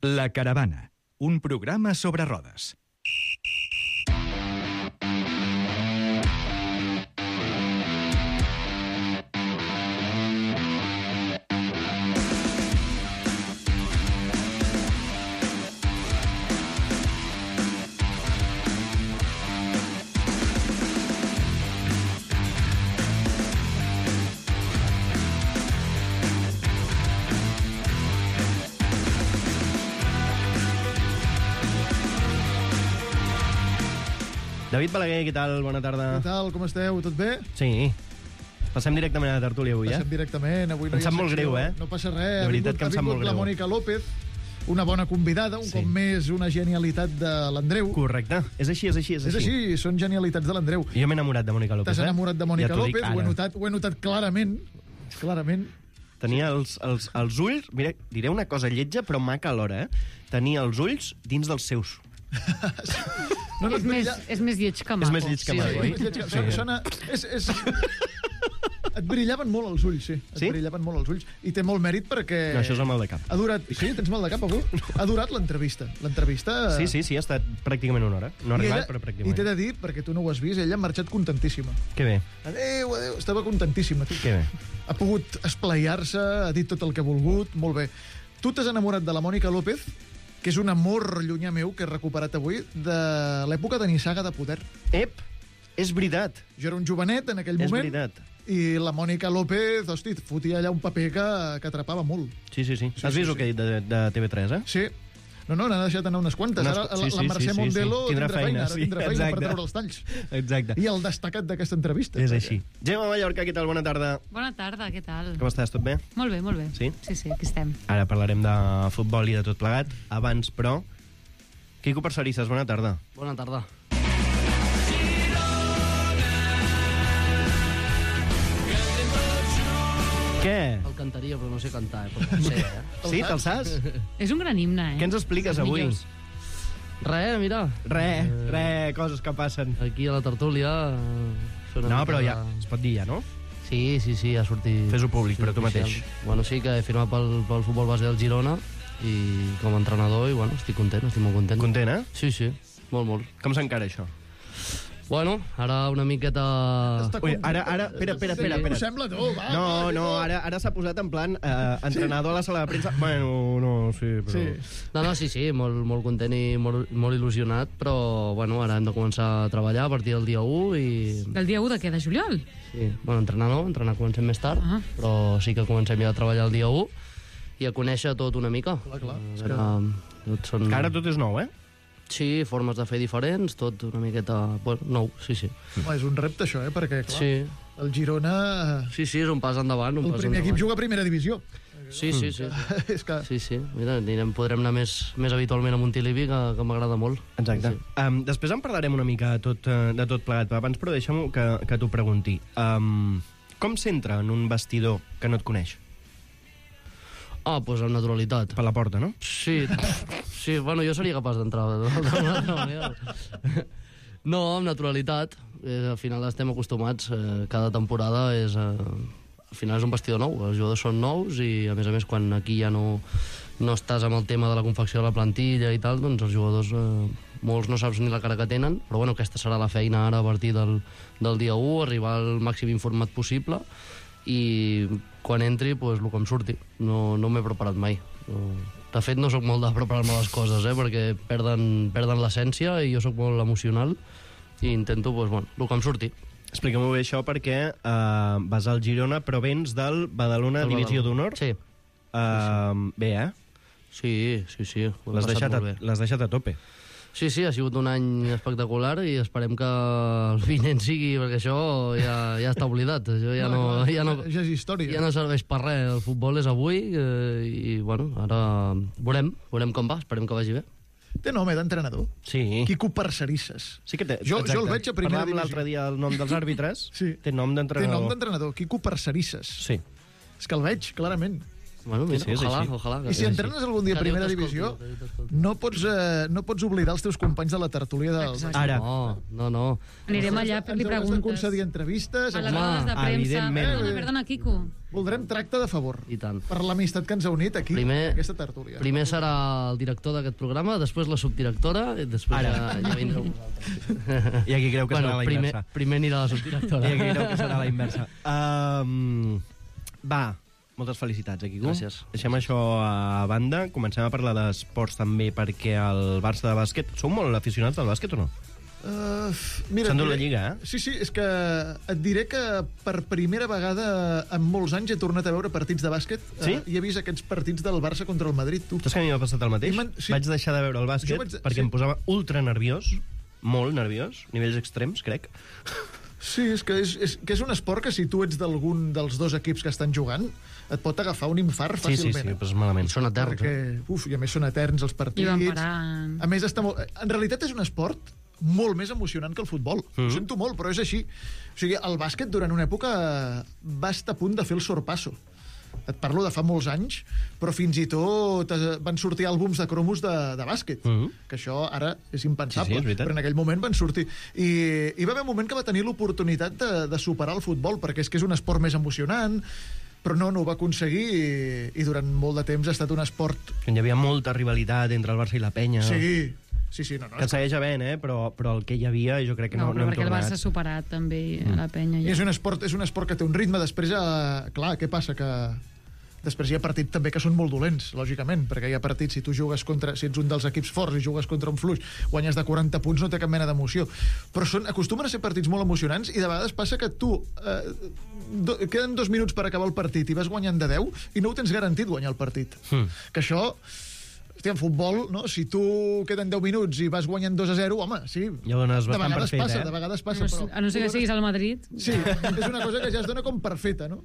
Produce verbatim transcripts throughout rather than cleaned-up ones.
La Caravana, un programa sobre rodes. David Balaguer, què tal? Bona tarda. Què tal? Com esteu? Tot bé? Sí. Passem directament a la tertúlia avui, eh? Passem directament. Avui no em hi ha sap molt secció. greu, eh? No passa res. De veritat que em sap molt greu. Ha vingut la Mònica López, una bona convidada, un Sí. cop més una genialitat de l'Andreu. Correcte. És així, és així, és És així. així, són genialitats de l'Andreu. Jo m'he enamorat de Mònica López, T'has eh? enamorat de Mònica Ja t'ho dic López, ho he, ara. notat, ho he notat clarament. Clarament. Tenia els, els, els ulls... Mira, diré una cosa lletja, però maca alhora, eh? Tenia els ulls dins dels seus. No, no, és, més, és més lleig que maco. És més lleig que maco, oi? És més lleig que- Sona, sona, és, és... Et brillaven molt els ulls, sí. Et Sí? brillaven molt els ulls. I té molt mèrit perquè... No, això és el mal de cap. Ha durat... Sí, tens mal de cap, avui? Ha durat l'entrevista. L'entrevista... Sí, sí, sí, ha estat pràcticament una hora. No ha I arribat, ella- però I t'he pràcticament. de dir, perquè tu no ho has vist, ella ha marxat contentíssima. Que bé, Adéu, adéu, estava contentíssima. Tu. que bé. Ha pogut esplaiar-se, ha dit tot el que ha volgut, molt bé. Tu t'has enamorat de la Mònica López, que és un amor llunyà meu que he recuperat avui, de l'època de Nissaga de Poder. Ep, és veritat. Jo era un jovenet en aquell És moment, veritat. i la Mònica López, hosti, fotia allà un paper que, que atrapava molt. Sí, sí, sí. Sí, Has sí, vist sí. el que he dit de, de T V tres, eh? Sí. No, no, n'ha deixat anar unes quantes. Unes Ara qu- la, sí, sí, la Mercè sí, sí, Mondelo sí. Tindrà tindrà feina, feina, ara sí, tindrà feina exacte. per treure els talls. Exacte. I el destacat d'aquesta entrevista. És perquè- així. Gemma Mallorca, què tal? Bona tarda. Bona tarda, què tal? Com estàs? Tot bé? Molt bé, molt bé. Sí? Sí, sí, aquí estem. Ara parlarem de futbol i de tot plegat. Abans, però... Quico Parcerisses, bona tarda. Bona tarda. Què? El cantaria, però no sé cantar, eh? Però no sé, eh? Sí, te'l saps? És un gran himne, eh? Què ens expliques Els avui? millors. Res, mira. Re, re, coses que passen. Aquí a la tertúlia... eh, fer una No, mica però de- ja, es pot dir ja, no? Sí, sí, sí, ha sortit... Fes-ho públic, sí, però tu oficial. mateix. Bueno, sí que he firmat pel, pel futbol base del Girona i com a entrenador, i bueno, estic content, estic molt content. Content, eh? Sí, sí, molt, molt. Com s'encara això? Bueno, ara una miqueta... Està Ui, content. ara, ara, espera, espera, espera. Ho espera. sembla, tu, va. No, va, no, Quico. ara, ara s'ha posat en plan eh, entrenador a la sala de premsa. Bueno, no, sí, però... Sí. No, no, sí, sí, molt, molt content i molt, molt il·lusionat, però bueno, ara hem de començar a treballar a partir del dia u i... Del dia u de què? De juliol? Sí, bueno, entrenar no, entrenar comencem més tard, Ah. però sí que comencem ja a treballar el dia u i a conèixer tot una mica. Clar, clar. A veure, tot són... Que ara tot és nou, eh? Sí, formes de fer diferents, tot una miqueta... Bueno, nou, sí, sí. Home, és un repte, això, eh? Perquè, clar, Sí, el Girona... sí, sí, és un pas endavant, un El pas primer endavant. equip juga a primera divisió. Sí, sí, sí. sí. És que... Sí, sí, mira, anirem, podrem anar més, més habitualment a Montilivi, que, que m'agrada molt. Exacte. Sí. Um, després en parlarem una mica de tot, eh, de tot plegat, però abans però deixa'm que, que t'ho pregunti. Um, com s'entra en un vestidor que no et coneix? Ah, doncs amb naturalitat. Per la porta, no? Sí, sí, bueno, jo seria capaç d'entrar d'una altra manera. No, amb naturalitat. Eh, al final estem acostumats. Eh, cada temporada és... Eh, al final és un vestidor nou. Els jugadors són nous i, a més a més, quan aquí ja no, no estàs amb el tema de la confecció de la plantilla i tal, doncs els jugadors... Eh, molts no saps ni la cara que tenen, però bueno, aquesta serà la feina ara a partir del, del dia u, arribar al màxim informat possible i quan entri, pues, el que em surti. No, no m'he preparat mai. No. De fet, no sóc molt de preparar-me les coses, eh, perquè perden, perden l'essència i jo sóc molt emocional i intento, pues, bueno, el que em surti. Explica-m'ho bé això perquè uh, vas al Girona però vens del Badalona Del Divisió Badalona. d'Honor. Sí, Uh, bé, eh? sí, sí, sí. ho he L'has passat deixat, a- molt bé. l'has deixat a tope. Sí, sí, ha sigut un any espectacular i esperem que el vinent sigui, perquè això ja, ja està oblidat. Això ja no, clar, ja no, ja és història. ja no serveix per res. El futbol és avui eh, i, bueno, ara veurem, veurem com va, esperem que vagi bé. Té nom, eh, d'entrenador. Sí. Quico Parcerisses. Sí que té, Jo- jo exacte. el veig a primera Parlàvem divisió. l'altre dia el nom dels àrbitres. Sí. Té nom Té d'entrenador. nom d'entrenador, Quico Parcerisses. Sí. És que el veig, clarament. Bueno, mira, Sí, sí, és ojalà, així. ojalà. I si entrenes algun dia a Que Déu primera t'escolti, divisió, que Déu t'escolti. no pots, eh, no pots oblidar els teus companys de la tertúlia del... Exacte. Ara. No, no, no. Anirem allà, Ens li hauràs de preguntes. concedir entrevistes. A les Home, rodes de premsa. evidentment. Perdona, perdona, Quico. Voldrem tracte de favor. I tant. Per l'amistat que ens ha unit aquí, Primer- aquesta tertúlia. Primer serà el director d'aquest programa, després la subdirectora, i després Ara. ja, ja vindreu vosaltres. I aquí creu que bueno, serà la primer, inversa. primer anirà la subdirectora. I aquí creu que serà la inversa. Um, va, moltes felicitats, Quico. Gràcies. Deixem això a banda. Comencem a parlar d'esports també, perquè el Barça de bàsquet... Sou molt aficionats al bàsquet o no? Uh, mira, S'ha endut et la diré- Lliga, eh? Sí, sí, és que et diré que per primera vegada en molts anys he tornat a veure partits de bàsquet. Sí? Uh, I he vist aquests partits del Barça contra el Madrid, tu. Saps que a mi m'ha passat el mateix? I man- sí. Vaig deixar de veure el bàsquet Jo vaig de- perquè sí. em posava ultra nerviós, molt nerviós, nivells extrems, crec. Sí, és que és, és, que és un esport que si tu ets d'algun dels dos equips que estan jugant, et pot agafar un infart Sí, sí, fàcilment. sí, però és malament. Són eterns, Perquè, eh? uf, i a més són eterns els I partits. van parant. A més, està molt... en realitat és un esport molt més emocionant que el futbol. Mm. Ho sento molt, però és així. O sigui, el bàsquet durant una època va estar a punt de fer el sorpasso. Et parlo de fa molts anys, però fins i tot eh, van sortir àlbums de cromos de, de bàsquet, Mhm. que això ara és impensable, Sí, sí, és veritat. però en aquell moment van sortir. I hi va haver un moment que va tenir l'oportunitat de, de superar el futbol, perquè és que és un esport més emocionant, però no, no ho va aconseguir i, i durant molt de temps ha estat un esport... Hi havia molta rivalitat entre el Barça i la Penya. Sí, sí, sí, no, no. Que segueix havent, eh? Però, però el que hi havia jo crec que no, No, no, però hem perquè el tornat. Barça ha superat també a la penya. I Ja. és un esport, és un esport que té un ritme, després, eh, clar, què passa? Que després hi ha partits també que són molt dolents, lògicament, perquè hi ha partits, si tu jugues contra, si ets un dels equips forts i jugues contra un fluix, guanyes de quaranta punts, no té cap mena d'emoció. Però són, acostumen a ser partits molt emocionants i de vegades passa que tu eh, do, queden dos minuts per acabar el partit i vas guanyant de deu i no ho tens garantit guanyar el partit. Hmm. Que això... Hòstia, en futbol, no? Si tu queden deu minuts i vas guanyant dos a zero, home, sí. Ja ho dones de bastant per vegades fet, passa, eh? de vegades passa, No, però... a no ser que siguis al Madrid. Sí, és una cosa que ja es dona com per feta, no?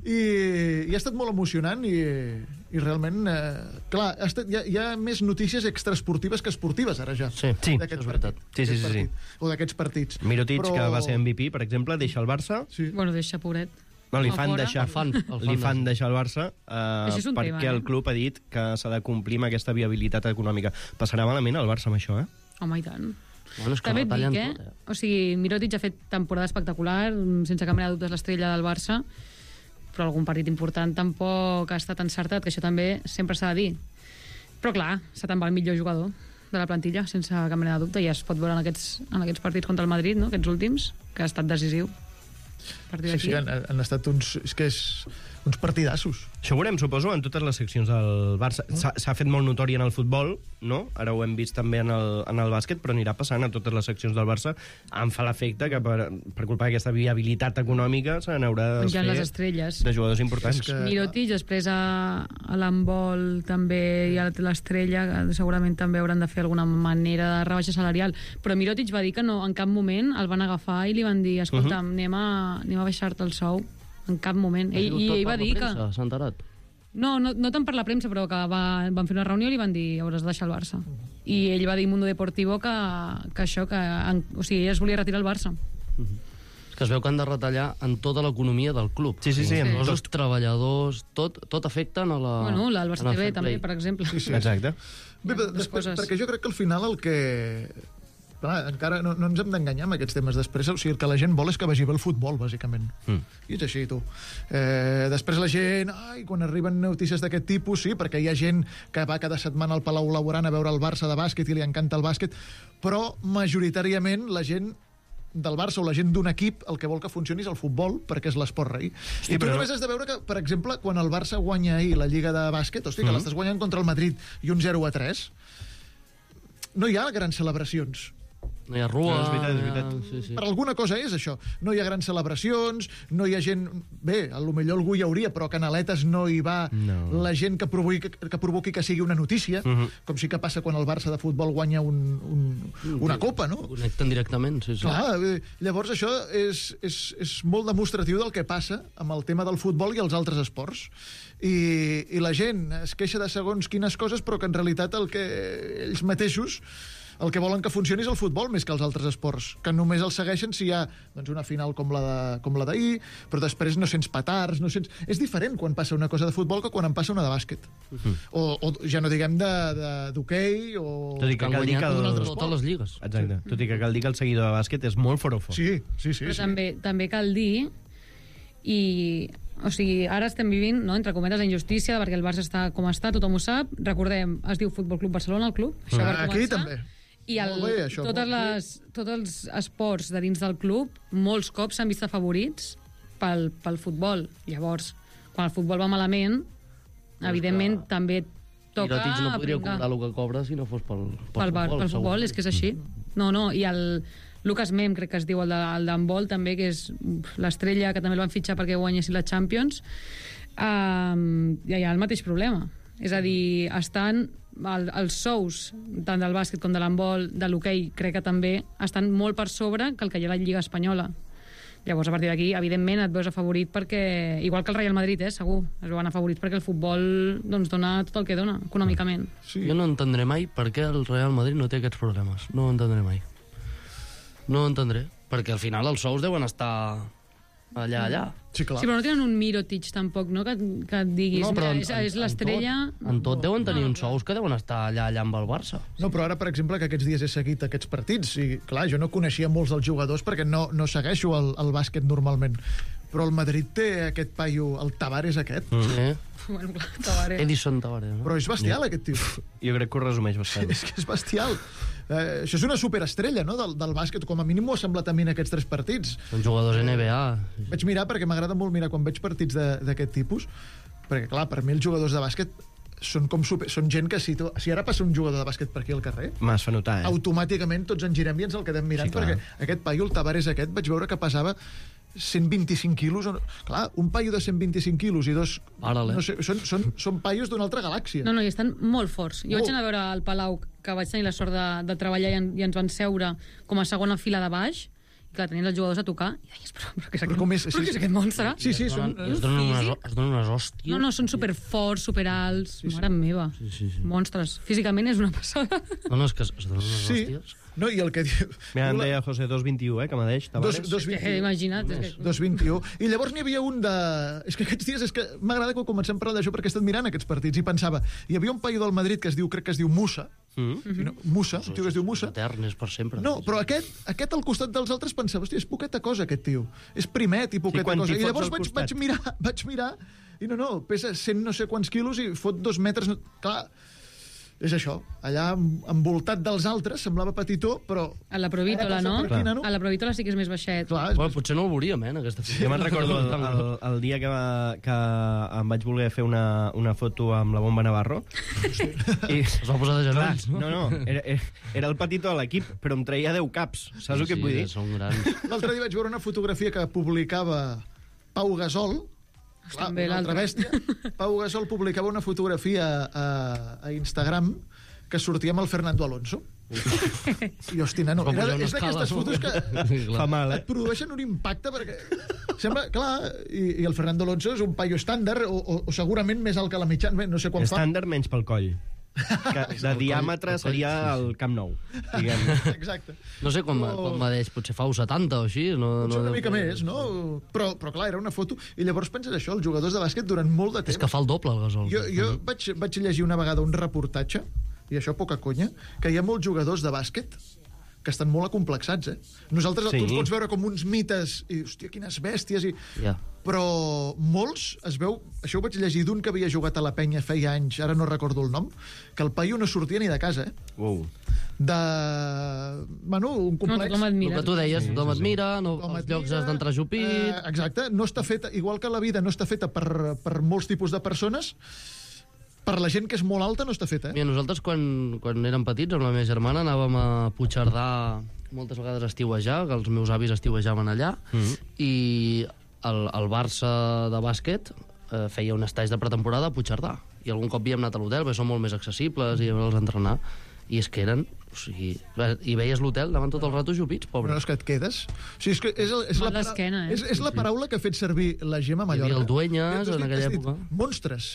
I, i ha estat molt emocionant i, i realment, eh, clar, ha estat, hi, ha, hi ha més notícies extraesportives que esportives, ara ja. Sí, Sí, d'aquest això és veritat. partit, Sí, sí, d'aquest sí, sí. partit, o d'aquests partits. Mirotic, Però- que va ser M V P, per exemple, deixa el Barça. Sí. Bueno, deixa, pobret. No, li A fan fora. deixar, El fan, el fan li fan de- deixar el Barça eh, Això és un perquè tema, eh? el club ha dit que s'ha de complir amb aquesta viabilitat econòmica. Passarà malament el Barça amb això, eh? Home, i tant. Bueno, és que També et retallen dic, eh? tot, eh? O sigui, Mirotic ha fet temporada espectacular, sense cap mena de dubtes l'estrella del Barça, però algun partit important tampoc ha estat encertat, que això també sempre s'ha de dir. Però clar, s'ha te'n va el millor jugador de la plantilla, sense cap mena de dubte, i es pot veure en aquests, en aquests partits contra el Madrid, no?, aquests últims, que ha estat decisiu. A partir Sí, d'aquí... sí, han, han estat uns... És que és uns partidassos. Això ho veurem, suposo, en totes les seccions del Barça. S'ha s'ha fet molt notori en el futbol, no? Ara ho hem vist també en el, en el bàsquet, però anirà passant a totes les seccions del Barça. Em fa l'efecte que per, per culpa d'aquesta viabilitat econòmica se n'haurà de Penjant les fer estrelles. de jugadors importants. És que- Mirotic, després a, a l'handbol també hi ha l'estrella, que segurament també hauran de fer alguna manera de rebaixa salarial, però Mirotic va dir que no, en cap moment el van agafar i li van dir, escolta, uh -huh. anem, a, anem a baixar-te el sou, en cap moment. Ell, I ell va dir que... S'ha enterat. No, no, no tant per la premsa, però que va, van fer una reunió i li van dir hauràs de deixar el Barça. I ell va dir a Mundo Deportivo que, que això, que en, o sigui, ell es volia retirar el Barça. És que es veu que han de retallar en tota l'economia del club. Sí, sí, sí, Els en costos, tot. treballadors, tot, tot afecten a la... Bueno, el en Barça el T V fair també, play. per exemple. Sí, sí. Exacte. Bé, però moltes després, coses. perquè jo crec que al final el que... Clar, encara no, no ens hem d'enganyar amb aquests temes. Després, o sigui, el que la gent vol és que vagi bé el futbol, bàsicament. Mm. I és així, tu. Eh, després la gent... Ai, quan arriben notícies d'aquest tipus, sí, perquè hi ha gent que va cada setmana al Palau Blaugrana a veure el Barça de bàsquet i li encanta el bàsquet, però majoritàriament la gent del Barça o la gent d'un equip el que vol que funcioni és el futbol, perquè és l'esport rei. Sí, I tu però- només has de veure que, per exemple, quan el Barça guanya ahir la Lliga de bàsquet, hosti, que Mhm. l'estàs guanyant contra el Madrid i un zero a tres, no hi ha grans celebracions. No hi ha rua... No, és veritat, és veritat. no hi ha- Sí, sí. Per alguna cosa és això. No hi ha grans celebracions, no hi ha gent... Bé, a lo millor algú hi hauria, però a Canaletes no hi va No. la gent que provoqui, que provoqui que sigui una notícia, Mhm. com sí que passa quan el Barça de futbol guanya un, un, una copa, no? Connecten directament, sí, sí. Clar, eh, llavors això és, és, és molt demostratiu del que passa amb el tema del futbol i els altres esports. I, i la gent es queixa de segons quines coses, però que en realitat el que ells mateixos el que volen que funcioni és el futbol més que els altres esports, que només el segueixen si hi ha doncs, una final com la de- com la d'ahir, però després no sents petards, no sents... És diferent quan passa una cosa de futbol que quan en passa una de bàsquet. O, o ja no diguem de- de- d'hoquei o... Tot i que Han cal dir que guanyat el... totes les lligues. Exacte. Tot i que cal dir que el seguidor de bàsquet és molt forofo. Sí, sí, sí. Però sí. també, també cal dir i o sigui, ara estem vivint, no, entre cometes, la injustícia perquè el Barça està com està, tothom ho sap. Recordem, es diu Futbol Club Barcelona, el club. Això per Ah, aquí començar. també. I el, Molt bé, això, totes molt bé. les, tots els esports de dins del club molts cops s'han vist afavorits pel, pel futbol. Llavors, quan el futbol va malament, evidentment també toca Piratits no podria pringar. cobrar el que cobra si no fos pel, pel, bar, pel futbol, és que és així. No, no, i el Lucas Mem, crec que es diu, el de- el d'handbol, també, que és l'estrella, que també el van fitxar perquè guanyessin la Champions, um, ja hi ha el mateix problema. És a dir, estan el, els sous, tant del bàsquet com de l'handbol, de l'hoquei, crec que també, estan molt per sobre que el que hi ha a la Lliga Espanyola. Llavors, a partir d'aquí, evidentment, et veus afavorit perquè, igual que el Real Madrid, eh, segur, es veuen afavorits perquè el futbol doncs, dona tot el que dona, econòmicament. Sí. Jo no entendré mai per què el Real Madrid no té aquests problemes. No ho entendré mai. No ho entendré. Perquè al final els sous deuen estar allà, allà. Sí, clar. Sí, però no tenen un Mirotic tampoc, no?, que, que et diguis, No, no, però mira, en- és, en- és l'estrella... En tot deuen tenir No, uns sous que deuen estar allà, allà amb el Barça. No, però ara, per exemple, que aquests dies he seguit aquests partits, i clar, jo no coneixia molts dels jugadors perquè no, no segueixo el, el bàsquet normalment, però el Madrid té aquest paio, el Tavares aquest, Mm. Eh? Bueno, clar, Tavares. Edison Tavares, no? però és bestial, aquest tio. Jo crec que ho resumeix bastant. És que és bestial. Eh, això és una superestrella, no?, del, del bàsquet, com a mínim m'ho ha semblat a mi en aquests tres partits. Són jugadors N B A. Vaig mirar, perquè m'agrada molt mirar quan veig partits de- d'aquest tipus, perquè, clar, per mi els jugadors de bàsquet són com super, són gent que si, to, si ara passa un jugador de bàsquet per aquí al carrer, M'has fa notar, eh? automàticament tots ens girem i ens el quedem mirant, Sí, clar. perquè aquest paio, el Tavares aquest, vaig veure que pesava cent vint-i-cinc quilos. o- Clar, un paio de cent vint-i-cinc quilos i dos... Para'l, eh? No sé, són, són, són paios d'una altra galàxia. No, no, i estan molt forts. Jo Molt. vaig anar a veure al Palau, que vaig tenir la sort de, de treballar i, en, i ens van seure com a segona fila de baix, i clar, tenien els jugadors a tocar, i deies, però, però què és aquest, Però com és? però què és aquest monstre? Sí, sí, Es són... donen, i es donen, unes, Físic? es donen unes hòsties. No, no, són superforts, superalts, sí, sí. Mare meva. Sí, sí, sí. Monstres. Físicament és una passada. No, no, és que es es donen unes Sí, hòsties. no, i el que diu... Mira, em deia José dos vint i u, eh, que m'adeix, Tavares. Dos, dos És que, vint-i-u. imagina't. És que... dos vint-i-u. I llavors n'hi havia un de... És que aquests dies és que m'agrada que comencem a parlar d'això perquè he estat mirant aquests partits i pensava, hi havia un paio del Madrid que es diu, crec que es diu Musa, Mm? i no, Musa, un tio que es diu Musa. Etern, és per sempre. No, però aquest, aquest al costat dels altres pensava, hòstia, és poqueta cosa aquest tio. És primet i poqueta quan cosa. t'hi I fots llavors al vaig, costat. vaig mirar, vaig mirar, i no, no, pesa cent no sé quants quilos i fot dos metres... No... Clar, és això, allà envoltat dels altres, semblava petitó, però... A la Provítola, Ara passa no? per aquí, nano. A la Provítola sí que és més baixet. Clar, és... Bueno, potser no el veuríem, eh, en aquesta foto. Jo me'n recordo el, el, el dia que, va, que em vaig voler fer una, una foto amb la Bomba Navarro. I, Es va posar de clar, genolls, no? no, no, era, era el petitó de l'equip, però em traia deu caps. Saps el que et vull dir? Són grans. L'altre dia vaig veure una fotografia que publicava Pau Gasol, clar, També una altra l'altre. bèstia. Pau Gasol publicava una fotografia a, a Instagram que sortia amb el Fernando Alonso. I, hosti, nano, Va era, pujar una és d'aquestes escala, no? fotos que Sí, clar. Fa mal, eh? et produeixen un impacte perquè sembla, clar, i, i el Fernando Alonso és un paio estàndard o, o, o segurament més alt que la mitjana, bé, no sé quan fa. Estàndard menys pel coll. Que de diàmetre seria el Camp Nou, diguem. Exacte. No sé quan, Oh. quan m'adeix, potser fa u setanta o així. No, Potser no una deu mica fer- més, no? Però, però clar, era una foto. I llavors penses això, els jugadors de bàsquet durant molt de temps... És que fa el doble, el Gasol. Jo, jo vaig, vaig llegir una vegada un reportatge, i això poca conya, que hi ha molts jugadors de bàsquet que estan molt acomplexats, eh? Nosaltres Sí. sí. tu els pots veure com uns mites, i, hòstia, quines bèsties, i... Ja. però molts es veu... Això ho vaig llegir d'un que havia jugat a la penya feia anys, ara no recordo el nom, que el paio no sortia ni de casa, eh? Wow. De... Bueno, un No, complex... tothom El admira. que tu deies, tothom et mira, no, Com als et llocs mira, has d'entrar jupit... Eh, exacte, no està feta, igual que la vida no està feta per, per molts tipus de persones, per la gent que és molt alta no està feta, eh? Mira, nosaltres quan, quan érem petits, amb la meva germana, anàvem a Puigcerdà moltes vegades a estiuejar, que els meus avis estiuejaven allà, Mhm. i el, el Barça de bàsquet eh, feia un estage de pretemporada a Puigcerdà. I algun cop havíem anat a l'hotel, perquè són molt més accessibles, i els entrenar. I és que eren... O sigui, i veies l'hotel davant tot el rato jupits, Però pobre. és que et quedes... O sigui, és, que és, el- és, Mal la, para- d'esquena, eh? és, és la paraula que ha fet servir la Gemma Mallorca. havia el Dueñas Tu has en dit- aquella has dit època. Monstres.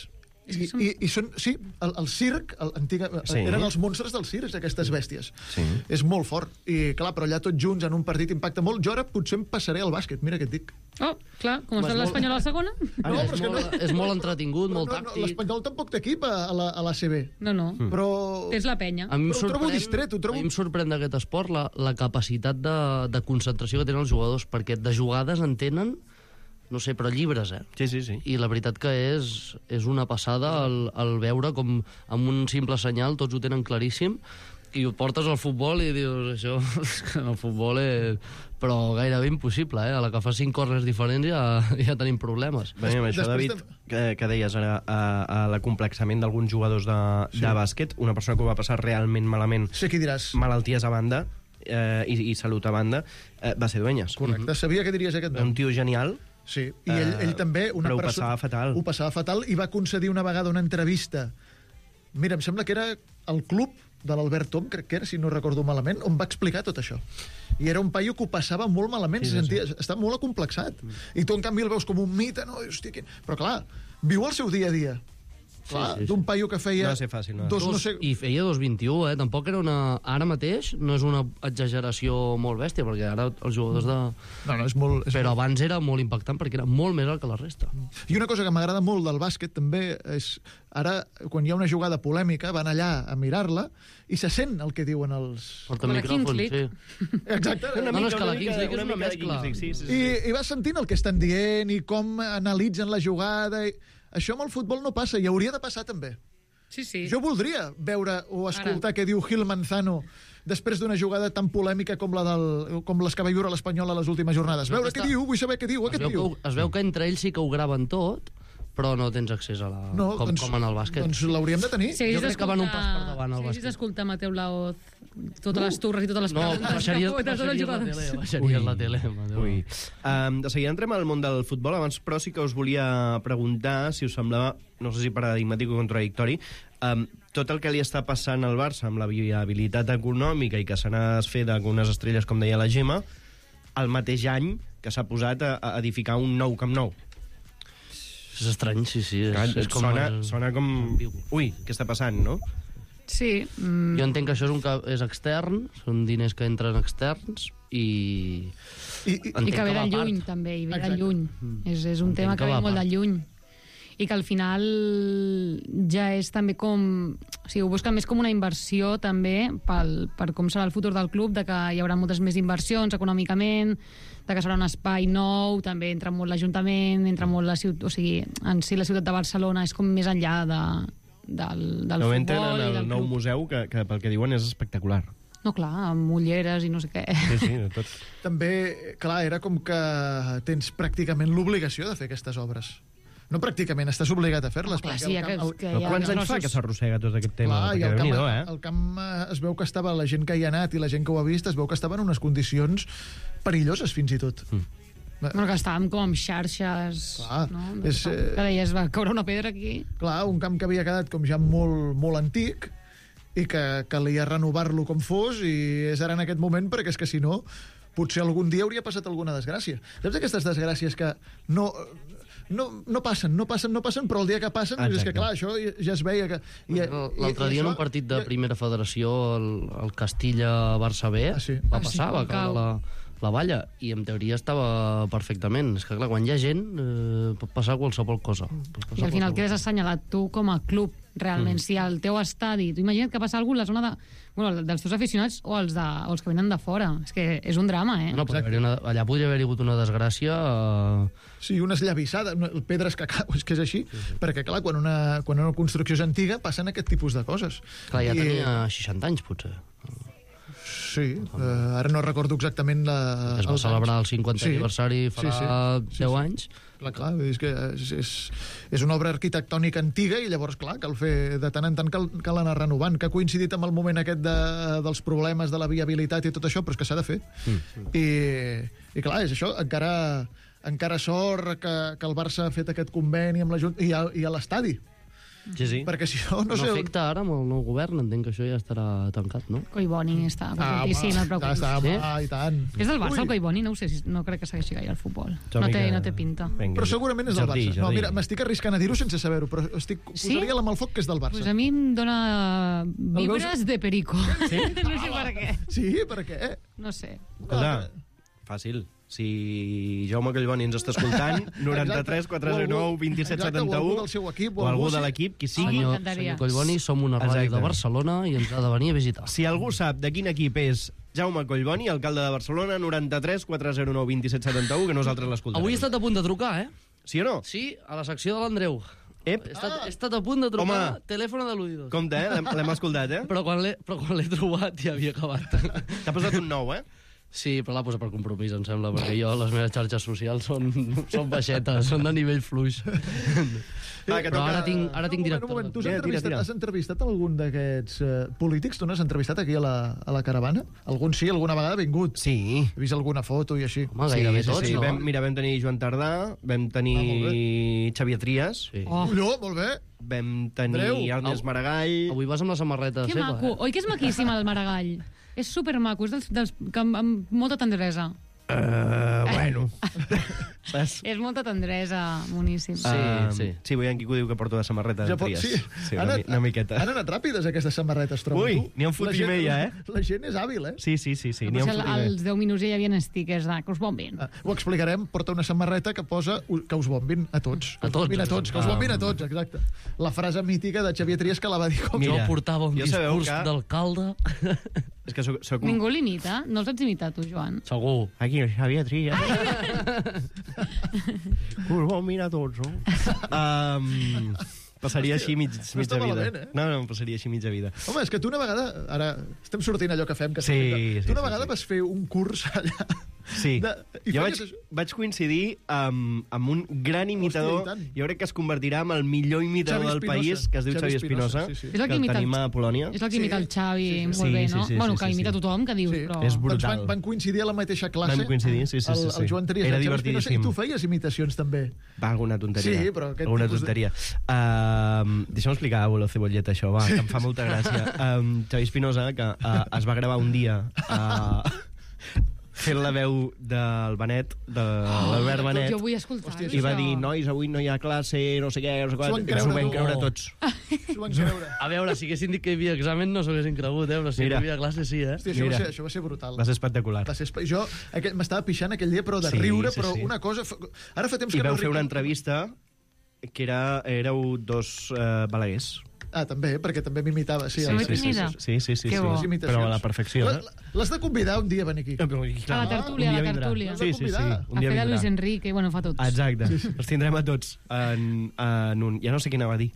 I, i, i són, sí, el, el circ, el, antiga, Sí. eren els monstres del circ, aquestes bèsties. Sí. És molt fort. I, clar, però allà tots junts en un partit impacta molt. Jo ara potser em passaré al bàsquet, mira què et dic. Oh, clar, com Vas està molt- l'Espanyol a la segona? No, és, però és que molt, no- és molt entretingut, molt no, no, tàctic. L'Espanyol tampoc té equip a, a la, a la C B. No, no. Mm. Però... És la penya. A mi em Però ho trobo sorprèn- distret, ho trobo- A mi em sorprèn d'aquest esport la, la capacitat de, de concentració que tenen els jugadors, perquè de jugades en tenen, no sé, però llibres, eh? Sí, sí, sí. I la veritat que és, és una passada el, el veure com amb un simple senyal tots ho tenen claríssim i ho portes al futbol i dius, això, és que en el futbol és... Però gairebé impossible, eh? A la que fa cinc corners diferents ja, ja tenim problemes. Bé, amb això, Després David, de- que, que deies ara, a, a l'acomplexament d'alguns jugadors de, sí. de bàsquet, una persona que ho va passar realment malament, Sé qui diràs. malalties a banda eh, i, i salut a banda, eh, va ser Dueñas. Correcte, sabia que diries aquest Un nom. tio genial. Sí, i ell, ell també... Una però ho persona- passava fatal. Ho passava fatal i va concedir una vegada una entrevista. Mira, em sembla que era el club de l'Albert Tom, crec que era, si no recordo malament, on va explicar tot això. I era un paio que ho passava molt malament, Sí, sí, sí, sentia, sí. Està molt acomplexat. Mm. I tu, en canvi, el veus com un mite, no? I, hòstia, quin... Però, clar, viu el seu dia a dia. Clar, sí, sí. d'un paio que feia... No va ser fàcil, no. Dos, no sé... I feia dos vint-i-u, eh? Tampoc era una... Ara mateix no és una exageració molt bèstia, perquè ara els jugadors de... No, no, és molt... És Però molt... abans era molt impactant perquè era molt més alt que la resta. I una cosa que m'agrada molt del bàsquet també és... Ara, quan hi ha una jugada polèmica, van allà a mirar-la i se sent el que diuen els... Porta Com la micròfon, Kings League. sí. Exacte. No, no, és que la Kings League és una mica de mescla. Kings League, sí, sí, sí. I, I vas sentint el que estan dient i com analitzen la jugada. I... Això amb el futbol no passa, i hauria de passar també. Sí, sí. Jo voldria veure o escoltar què diu Gil Manzano després d'una jugada tan polèmica com, la del, com les que va viure l'Espanyol a les últimes jornades. Veure què diu, vull saber què diu Es aquest veu, que, tio. ho- es veu que entre ells sí que ho graven tot, però no tens accés a la... No, com, doncs, com en el bàsquet. Doncs l'hauríem de tenir. Si haguessis Jo crec que van un d'escoltar- pas per davant, el Si haguessis bàsquet. d'escoltar Mateu Laoz, totes les turres i totes les No, preguntes baixaries, que fot a tots els baixaries la jugadors. tele, baixaries la tele. Mateu. Ui. Um, de seguida entrem al món del futbol. Abans, però, sí que us volia preguntar si us semblava, no sé si paradigmàtic o contradictori, um, tot el que li està passant al Barça amb la viabilitat econòmica i que se n'ha desfet d'algunes estrelles, com deia la Gemma, el mateix any que s'ha posat a, a edificar un nou Camp Nou. És estrany, sí, sí. És, Clar, és com, sona, eh, sona com... ambigu. Ui, què està passant, no? Sí. Mm, Jo entenc que això és, un, ca- és extern, són diners que entren externs i... I, i, entenc I que ve va de a part. lluny, també, i ve Exacte. de lluny. És, és un Entenc tema que que va ve a molt part. de lluny. I que al final ja és també com... O sigui, ho busquen més com una inversió també pel, per com serà el futur del club, de que hi haurà moltes més inversions econòmicament, de que serà un espai nou, també entra molt l'Ajuntament, entra molt la ciutat... O sigui, en si la ciutat de Barcelona és com més enllà de, del, del No futbol entren i el del nou club. museu, que, que pel que diuen és espectacular. No, clar, amb ulleres i no sé què. Sí, sí, de tot. també, clar, era com que tens pràcticament l'obligació de fer aquestes obres. No pràcticament, estàs obligat a fer-les. Clar, perquè sí, el que, camp- el- que Però hi ha quants anys fa grossos- que s'arrossega tot aquest tema? Clar, i Perquè el camp, Déu-n'hi-do, eh? el camp eh, es veu que estava, la gent que hi ha anat i la gent que ho ha vist, es veu que estava en unes condicions perilloses, fins i tot. Mm. Bueno, que estàvem com amb xarxes... Clar, no? és, eh, Que deies, va caure una pedra aquí... Clar, un camp que havia quedat com ja molt, molt antic i que calia renovar-lo com fos, i és ara en aquest moment, perquè és que si no, potser algun dia hauria passat alguna desgràcia. Saps aquestes desgràcies que no... No, no passen, no passen, no passen, però el dia que passen és que, Exacte. clar, això ja, ja es veia que... i- L'altre i- i dia en això- un partit de primera federació, el, el Castilla-Barça B, Ah, sí? va Ah, sí, passar, va cau. caure la, la valla, i en teoria estava perfectament. És que, clar, quan hi ha gent, eh, pot passar qualsevol cosa. Pot passar I al final qualsevol quedes assenyalat tu com a club, realment. Mm. Si al teu estadi... Tu imagina't que passa alguna cosa a la zona de, bueno, dels teus aficionats o els, de, o els que venen de fora. És que és un drama, eh? No, podria haver una, allà podria haver hagut una desgràcia... Eh, Sí, una esllavissada, no, pedres que cau, és que és així, sí, sí. perquè, clar, quan una, quan una construcció és antiga passen aquest tipus de coses. clar, ja I- tenia seixanta anys, potser. Sí, eh, ara no recordo exactament la... Es va els celebrar el anys. cinquantè Sí, aniversari sí, farà sí, sí, deu sí. anys. Clar, clar, és que és, és, és una obra arquitectònica antiga i llavors, clar, cal fer de tant en tant cal, cal anar renovant, que ha coincidit amb el moment aquest de, dels problemes de la viabilitat i tot això, però és que s'ha de fer. Mm. I, I clar, és això, encara, encara sort que, que el Barça ha fet aquest conveni amb la Junta i a, i a l'estadi. Sí, sí. Perquè si no, no No sé... on- afecta ara amb el nou govern, entenc que això ja estarà tancat, no? Collboni està Ah, contentíssim, no et ja preocupis. està, Sí? home, i tant. És del Barça, Ui, el Collboni? No ho sé, si- no crec que segueixi gaire el futbol. Jo No té, vinga. no té pinta. Vinga, Però segurament és del Jordi, Barça. No, Jordi. mira, m'estic arriscant a dir-ho sense saber-ho, però estic, Sí? posaria la mà al foc que és del Barça. Pues a mi em dona vibres veus? de perico. Sí? No sé per què. Sí, per què? No sé. Escolta, fàcil. Si Jaume Collboni ens està escoltant, noranta-tres quatre zero nou vint set Exacte, o setanta algú u, del seu equip, o o algú, algú de sí. l'equip, qui Home, sigui. m'encantaria. Senyor Collboni, som una ràdio Exacte. de Barcelona i ens ha de venir a visitar. Si algú sap de quin equip és Jaume Collboni, alcalde de Barcelona, noranta-tres quatre zero nou vint set setanta u, que nosaltres l'escoltarem. Avui he estat a punt de trucar, eh? Sí o no? Sí, a la secció de l'Andreu. Ep, He estat, he estat a punt de trucar, Home. telèfon de l'Uidos. compte, eh? L'hem l'hem escoltat, eh? Però quan l'he però quan l'he trobat ja havia acabat. T'ha posat un nou, eh? Sí, però l'ha posat per compromís, em sembla, perquè jo, les meves xarxes socials són, són baixetes, són de nivell fluix. Va, que Però toca... ara tinc, ara tinc un moment, director. un moment. Tu has Tira, tira, entrevistat, tira. has entrevistat algun d'aquests uh, polítics? Tu n'has entrevistat aquí a la, a la caravana? Algun sí, alguna vegada ha vingut. Sí. He vist alguna foto i així. Home, gairebé sí, tots, sí. no? Vam, mira, vam tenir Joan Tardà, vam tenir Ah, molt Xavier Trias, Sí. Oh, Colló, molt bé. vam tenir Andreu. Ernest Maragall... Avui vas amb la samarreta que seva, maco. eh? Oi que és maquíssim el Maragall? És supermaco, és dels, dels que amb, amb molta tendresa. Uh, bueno. Saps? És molta tendresa, moníssim. Sí, Um, sí. Sí, veiem qui diu que porto de samarreta Ja de pot- Trias. sí. sí Han una, anat- mi- una miqueta. Han anat ràpides, aquestes samarretes, trobo. Ui, tu. n'hi ha un fotimer La gent- ja, eh? La gent és hàbil, eh? Sí, sí, sí, sí, n'hi ha Potser un al- fotimer. als deu minuts ja hi havia stickers de que us bombin. Ah, ho explicarem, porta una samarreta que posa que us bombin a tots. Que A us tots, bombin a tots, que us Ah. bombin a tots, exacte. La frase mítica de Xavier Trias que la va dir com... Mira, Jo portava un jo sabeu discurs que- d'alcalde. És que soc, soc un... Ningú l'imita? No els saps imitar, tu, Joan? Segur. Aquí, Xavier Trias. Us vol mirar tots, no? Um, passaria així mig, no mitja està vida. malament, eh? No, no, em passaria així mitja vida. Home, és que tu una vegada... Ara estem sortint allò que fem. Que Sí, sempre- sí, Tu una sí, vegada sí. vas fer un curs allà... Sí, De- i jo feies vaig, això? vaig coincidir amb, amb un gran imitador, Hòstia, i tant. jo crec que es convertirà en el millor imitador Xavi del Espinosa. país, que es diu Xavi Xavi Espinosa, Espinosa, sí, sí. És el que que el imita el- tenim a Polònia. És el que Sí, imita el Xavi sí, sí. molt Sí, bé, sí, no? sí, bueno, sí, que sí, imita sí. tothom, que dius, Sí. però... És brutal. Doncs van, van coincidir a la mateixa classe. Vam coincidir, sí, sí, sí, El, sí. el Joan Trias Era i el Xavi Espinosa, divertidíssim. I tu feies imitacions, també. Va, alguna tonteria. Sí, però aquest Alguna tipus de- tonteria. Uh, Deixa'm explicar a Bolo Cebolleta això, va, que em fa molta gràcia. Um, Xavi Espinosa, que uh, es va gravar un dia uh, fent la veu del Benet, de l'Albert Benet, Jo vull escoltar Hòstia, i va això. dir, nois, avui no hi ha classe, no sé què, no sé S'ho van què, que ens ho creure, vam tu. creure Oh. tots. S'ho van creure. A veure, si haguessin dit que hi havia examen no s'ho haguessin cregut, eh? Però si Mira. hi havia classe, sí, eh? Hòstia, això, va Mira. ser, això va ser brutal. Va ser espectacular. Va ser espe- jo aquell- m'estava pixant aquell dia, però de Sí, riure, sí, però sí. una cosa... fa- Ara fa temps I que vau no fer una ric- entrevista que era, éreu dos uh, balaguers. Ah, també, perquè també m'imitava. Sí, Sí, el- sí, sí. sí, sí, sí, Que sí. bo. les imitacions. Però a la perfecció, La- eh? la- L'has de convidar un dia a venir aquí. Ah, però, clar, A la tertúlia, un dia a la vindrà. tertúlia. Sí, sí, sí. Convidar. Un A dia fer de vindrà. Luis Enrique, bueno, fa tots. Exacte. Els tindrem a tots en, en un... Ja no sé quina va dir.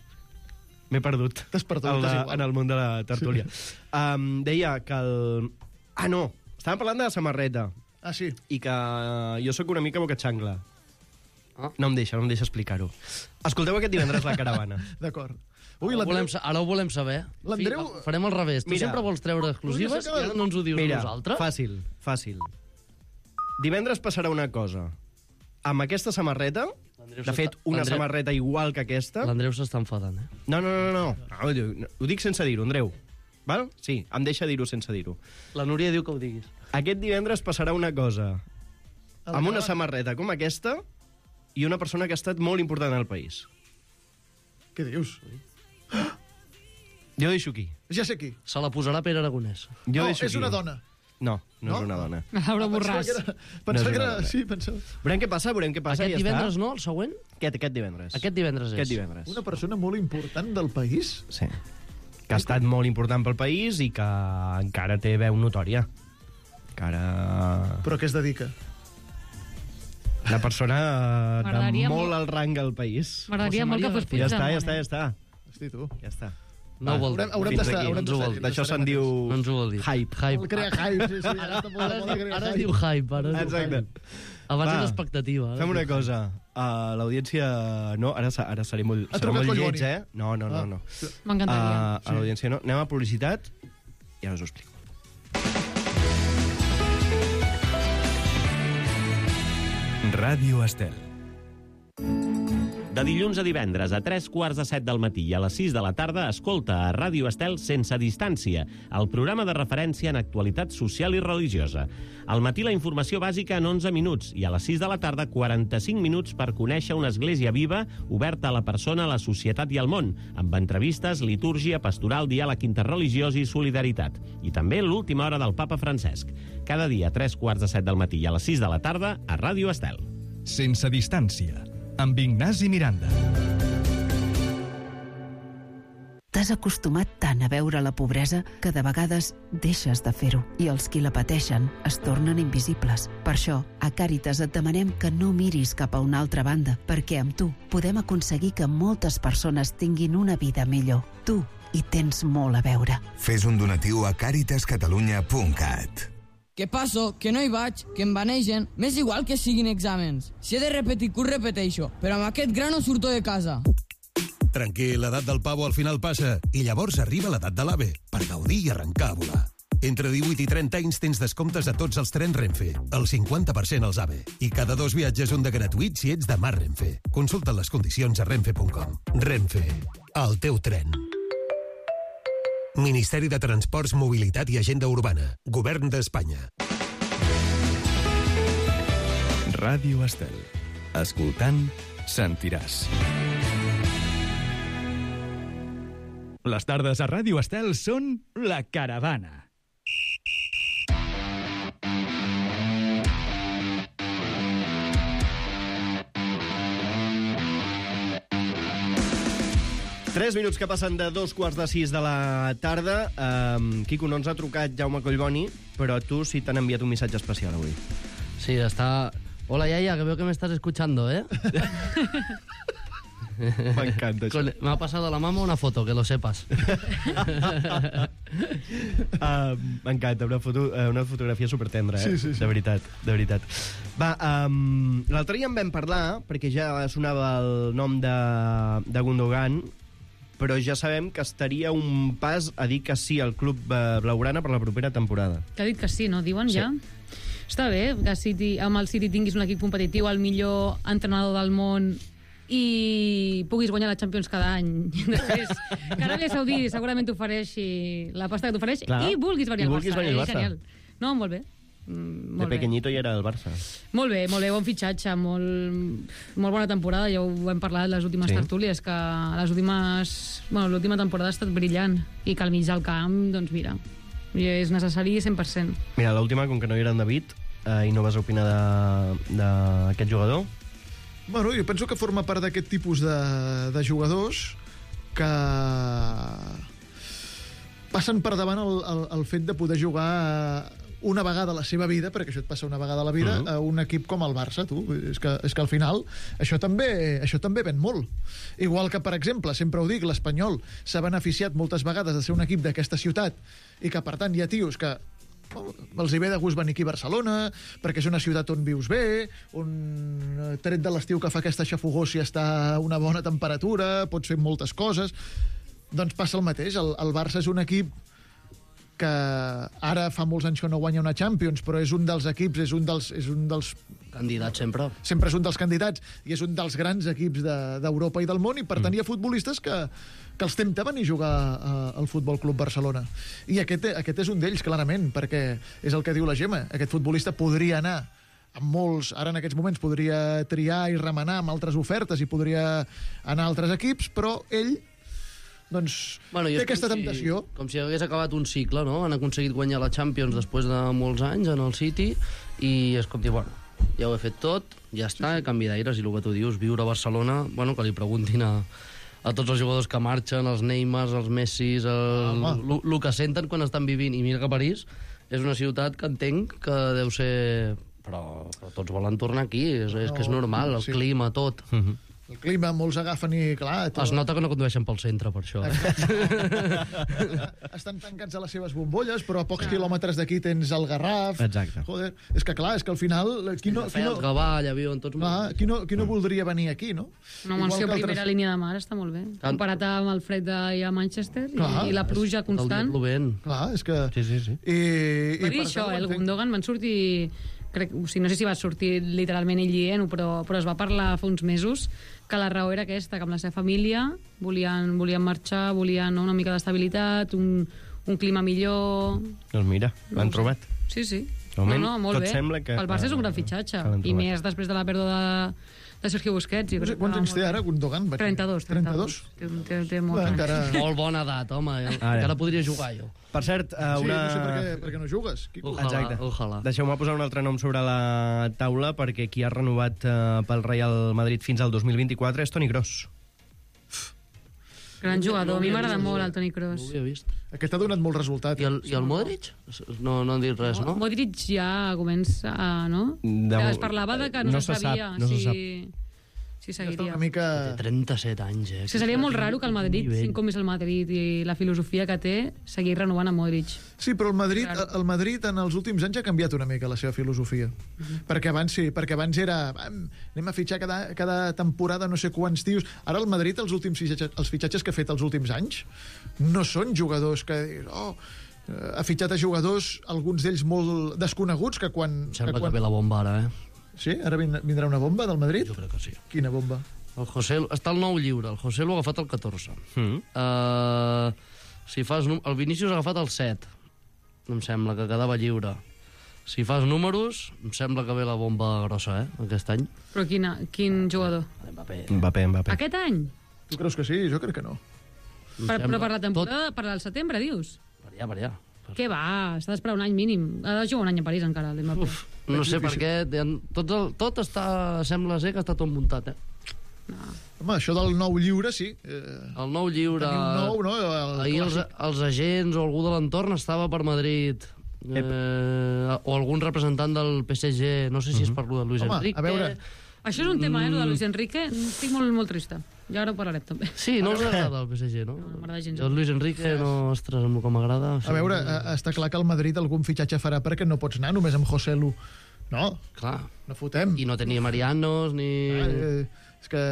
M'he perdut. T'has perdut, El de, és igual. en el món de la tertúlia. Sí. Um, deia que el... Ah, no. Estàvem parlant de la samarreta Ah, sí. i que jo sóc una mica boca-xangla. Ah. No em deixa, no em deixa explicar-ho. Escolteu aquest divendres la caravana. D'acord. Ui, Ara ho, l'Andreu... volem, sa- ara ho volem saber. L'Andreu- Fi- Farem al revés. Tu Mira. sempre vols treure exclusives Podria ser que- i ara no ens ho dius Mira, a nosaltres? fàcil, fàcil. Divendres passarà una cosa. Amb aquesta samarreta, L'Andreu de fet, s'està- una l'Andreu- samarreta igual que aquesta... L'Andreu s'està enfadant, eh? No, no, no, no. no ho, dic, ho dic sense dir-ho, Andreu. Val? Sí, em deixa dir-ho sense dir-ho. La Núria diu que ho diguis. Aquest divendres passarà una cosa. A la Amb una caravana. samarreta com aquesta i una persona que ha estat molt important al país. Què dius? Jo deixo aquí. Ja sé qui. Se la posarà Pere Aragonès. Jo No, deixo és aquí. una dona. No, no, No? és una dona. Laura Pensava Borràs. que era... No és Pensava que una era... dona. Sí, pensava... Veurem què passa, veurem què passa. Aquest i ja divendres està. no, el següent? Aquest, aquest divendres. Aquest divendres és. Aquest divendres. Una persona molt important del país? Sí. Que ha estat molt important pel país i que encara té veu notòria. Encara... Però a què es dedica? Una persona eh, de M'agradaria molt molt- al rang al país. M'agradaria José molt que María fos Ja Puigdemont. està, ja està, eh? ja està. Hosti, tu. Ja està. No ho vol dir. Haurem, haurem Fins d'estar... aquí. Haurem No ens ho d'estar vol aquí, dir. D'això no se'n estarem diu... atents. No ens ho vol dir. Hype. Hype. El crea hype, sí, sí. Ara, està molt Ara, de es moda diu, crear ara es hype. diu hype. Ara es diu Exacte. hype. Abans Va. era expectativa. ara Fem es una diu hype. cosa. Uh, L'audiència... No, ara, se- ara seré molt, Ha serà trucat molt Collboni. lleig, eh? No, no, no. Ah. no. M'encantaria. Uh, a l'audiència no. Anem a publicitat i ara us ho explico. Ràdio Estel. De dilluns a divendres, a tres quarts de set del matí i a les sis de la tarda, escolta a Ràdio Estel Sense Distància, el programa de referència en actualitat social i religiosa. Al matí la informació bàsica en onze minuts i a les sis de la tarda quaranta-cinc minuts per conèixer una església viva oberta a la persona, a la societat i al món, amb entrevistes, litúrgia, pastoral, diàleg interreligiós i solidaritat. I també l'última hora del Papa Francesc. Cada dia a tres quarts de set del matí i a les sis de la tarda a Ràdio Estel. Sense Distància, amb Ignasi Miranda. T'has acostumat tant a veure la pobresa que de vegades deixes de fer-ho i els qui la pateixen es tornen invisibles. Per això, a Càritas et demanem que no miris cap a una altra banda, perquè amb tu podem aconseguir que moltes persones tinguin una vida millor. Tu hi tens molt a veure. Fes un donatiu a càritas catalunya punt cat. Què passo? Que no hi vaig, que em banegen. M'és igual que siguin exàmens. Si he de repetir curs, repeteixo. Però amb aquest gra no surto de casa. Tranquil, l'edat del pavo al final passa. I llavors arriba l'edat de l'AVE, per gaudir i arrencar a volar. Entre divuit i trenta anys tens descomptes a tots els trens Renfe. El cinquanta per cent als AVE. I cada dos viatges un de gratuït si ets de Mar Renfe. Consulta les condicions a renfe punt com. Renfe, el teu tren. Ministeri de Transports, Mobilitat i Agenda Urbana. Govern d'Espanya. Ràdio Estel. Escoltant, sentiràs. Les tardes a Ràdio Estel són La Caravana. Tres minuts que passen de dos quarts de sis de la tarda. Um, Quico, no ens ha trucat Jaume Collboni, però tu sí t'han enviat un missatge especial avui. Sí, está... Hola, Yaya, que veo que me estás escuchando, ¿eh? M'encanta això. Con... Me ha pasado la mama una foto, que lo sepas. uh, M'encanta, una, foto, uh, una fotografia supertendra, eh? Sí, sí, sí. De veritat, de veritat. Va, um, l'altre dia en vam parlar, perquè ja sonava el nom de, de Gundogan, però ja sabem que estaria un pas a dir que sí al club blaugrana per la propera temporada. Que ha dit que sí, no? Diuen Sí. ja? Està bé que City, amb el City tinguis un equip competitiu, el millor entrenador del món i puguis guanyar la Champions cada any. Després, que Aràbia Saudí segurament t'ofereixi la pasta que t'ofereix i vulguis venir I al vulguis Barça. venir al Eh, Barça. Genial. No, molt bé. Mm, De molt bé. pequeñito ja era el Barça. Molt bé, molt bé, bon fitxatge, molt, molt bona temporada, ja ho hem parlat les últimes Sí. tertúlies, que les últimes... Bueno, l'última temporada ha estat brillant, i que al mig del camp, doncs mira, és necessari cent per cent. Mira, l'última, com que no hi era en David, eh, i no vas opinar de- d'aquest jugador, Bueno, jo penso que forma part d'aquest tipus de, de jugadors que passen per davant el, el, el fet de poder jugar una vegada a la seva vida, perquè això et passa una vegada a la vida, Mhm. a un equip com el Barça, tu. És que, és que al final això també, això també ven molt. Igual que, per exemple, sempre ho dic, l'Espanyol s'ha beneficiat moltes vegades de ser un equip d'aquesta ciutat i que, per tant, hi ha tios que els hi ve de gust venir aquí a Barcelona perquè és una ciutat on vius bé, on tret de l'estiu que fa aquesta xafogó si està a una bona temperatura, pots fer moltes coses. Doncs passa el mateix. El, el Barça és un equip que ara fa molts anys que no guanya una Champions, però és un dels equips, és un dels, és un dels Candidat sempre. sempre és un dels candidats i és un dels grans equips de- d'Europa i del món, i per tant hi ha futbolistes que, que els tempta venir a jugar a, al Futbol Club Barcelona. I aquest, aquest és un d'ells, clarament, perquè és el que diu la Gemma. Aquest futbolista podria anar amb molts, ara en aquests moments podria triar i remenar amb altres ofertes i podria anar a altres equips, però ell doncs Bueno, i té és aquesta com temptació. Si, com si hagués acabat un cicle, no? Han aconseguit guanyar la Champions després de molts anys en el City i és com dir, bueno, ja ho he fet tot, ja està, he canviat d'aires, i el que tu dius, viure a Barcelona, bueno, que li preguntin a, a tots els jugadors que marxen, els Neymars, els Messis, el, Home. el que senten quan estan vivint. I mira que París és una ciutat que entenc que deu ser... Però, però tots volen tornar aquí, és, és que és normal, el Sí. clima, tot. El clima, molts agafen i, clar... Es nota que no condueixen pel centre, per això. Estan tancats a les seves bombolles, però a pocs quilòmetres d'aquí tens el Garraf. Exacte. Joder, és que clar, és que al final... Qui no, qui Feia no, el Gavall, avió, tots... clar, qui no, qui no voldria venir aquí, no? No, amb el Igual seu que primera altres- línia de mar està molt bé. Comparat amb el fred d'ahir a Manchester i, Clar. i la pluja constant. Plovent. Clar, és que... Sí, sí, sí. I, Per i dir això, tant, eh, el entenc. Gundogan van sortir crec, o sigui, no sé si va sortir literalment ell dient-ho, però, però es va parlar fa uns mesos que la raó era aquesta, que amb la seva família volien, volien marxar, volien no, una mica d'estabilitat, un, un clima millor... Doncs mira, l'han No ho sé. trobat. Sí, sí. De moment, no, no, molt tot bé. sembla que- El Barça és un gran que- fitxatge. que l'han I trobat. més després de la pèrdua de, de Sergio Busquets. Jo No sé crec que quants va anys molt té bé. ara, Gundogan? Vaig dir. trenta-dos. trenta-dos? Té, té, té molt Bueno, encara... Molt bona edat, home. Encara podria jugar, jo. Per cert, eh, Sí, una... no sé per què, per què no jugues. Quico. Ojalà, Exacte. ojalà. Deixeu-me posar un altre nom sobre la taula, perquè qui ha renovat eh, pel Real Madrid fins al dos mil vint-i-quatre és Toni Kroos. Gran jugador. A mi m'agrada molt el Toni No ho Kroos. havia vist. Aquest ha donat molt resultat. I el, i el Modric? No, no han dit res, no? Modric ja comença a... No? De- Ja es parlava de que no, no se se sap, sabia no se si, sap. si Ja està seguiria. una mica... Té trenta-set anys, eh? És que seria molt raro que el Madrid, Nivell. sent com és el Madrid i la filosofia que té, seguir renovant a Modric. Sí, però el Madrid, Claro. el Madrid en els últims anys ha canviat una mica la seva filosofia. Perquè abans sí, perquè abans era "Vam, anem a fitxar cada, cada temporada no sé quants tios". Ara el Madrid, els últims fitxatges, els fitxatges que ha fet els últims anys, no són jugadors que... Oh, eh, ha fitxat a jugadors, alguns d'ells molt desconeguts, que quan... Sembla que quan... que ve la bomba ara, eh? Sí? Ara vin- vindrà una bomba del Madrid? Jo crec que sí. Quina bomba? El José, està el nou lliure, el José l'ha agafat el catorze. Mm. Uh, si fas... num- El Vinícius ha agafat el set. Em sembla que quedava lliure. Si fas números, em sembla que ve la bomba grossa, eh, aquest any. Però quina, quin jugador? Mbappé. Mbappé, Mbappé. Aquest any? Tu creus que sí? Jo crec que no. Em Per, sembla. però per la temporada, per al setembre, dius? Tot, per allà, per allà. Què va? S'ha d'esperar un any mínim. Ha de jugar un any a París encara, l'Mbappé. Uf, no sé per què. Tot, el, tot està... Sembla ser que està tot muntat, eh? Home, això del nou lliure, sí. Eh, El nou lliure... tenir un nou, no? El Ahir els, clàssic. els agents o algú de l'entorn estava per Madrid. Eh, o algun representant del P S G, no sé si és per lo de Luis Home, a Enrique. veure, Això és un tema, eh, lo de Mm. Luis Enrique. Estic molt, molt trista. I ara ho parlarem, també. Sí, no us agrada el P S G, no? No, no m'agrada gens. El Luis Enrique, no, ostres, amb el que m'agrada... A veure, eh, està clar que el Madrid algun fitxatge farà perquè no pots anar només amb José Lu. No, Clar. no fotem. I no tenia Marianos, ni... Eh, és que...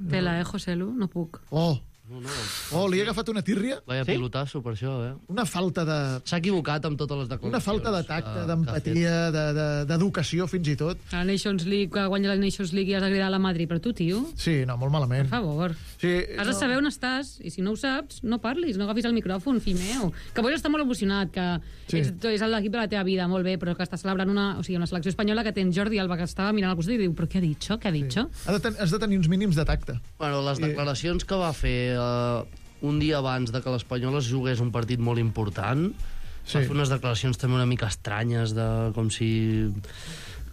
Tela, eh, José Lu? No puc. Oh, No, no. oh, li he agafat una tírria, Vaya sí? pilotasso per això, eh? una falta de... S'ha equivocat amb totes les declaracions. Una falta de tacte, que- que ha d'empatia, de- de- d'educació, fins i tot. A la Nations League, que guanya la Nations League i has de cridar a la Madrid. Però tu, tio, Sí, no, molt per malament. favor. Sí, Has de no. saber on estàs, i si no ho saps, no parlis, no agafis el micròfon, fill meu. Que pots estar molt emocionat, que Sí. ets, és l'equip de la teva vida, molt bé, però que estàs celebrant una, o sigui, una selecció espanyola que tens Jordi Alba, que estava mirant al costat i diu, però què ha dit, què ha dit? Sí. Ha de ten has de tenir uns mínims de tacte. Bueno, les declaracions que va fer eh, un dia abans de que l'Espanyol es jugués un partit molt important, Sí. va fer unes declaracions també una mica estranyes, de, com si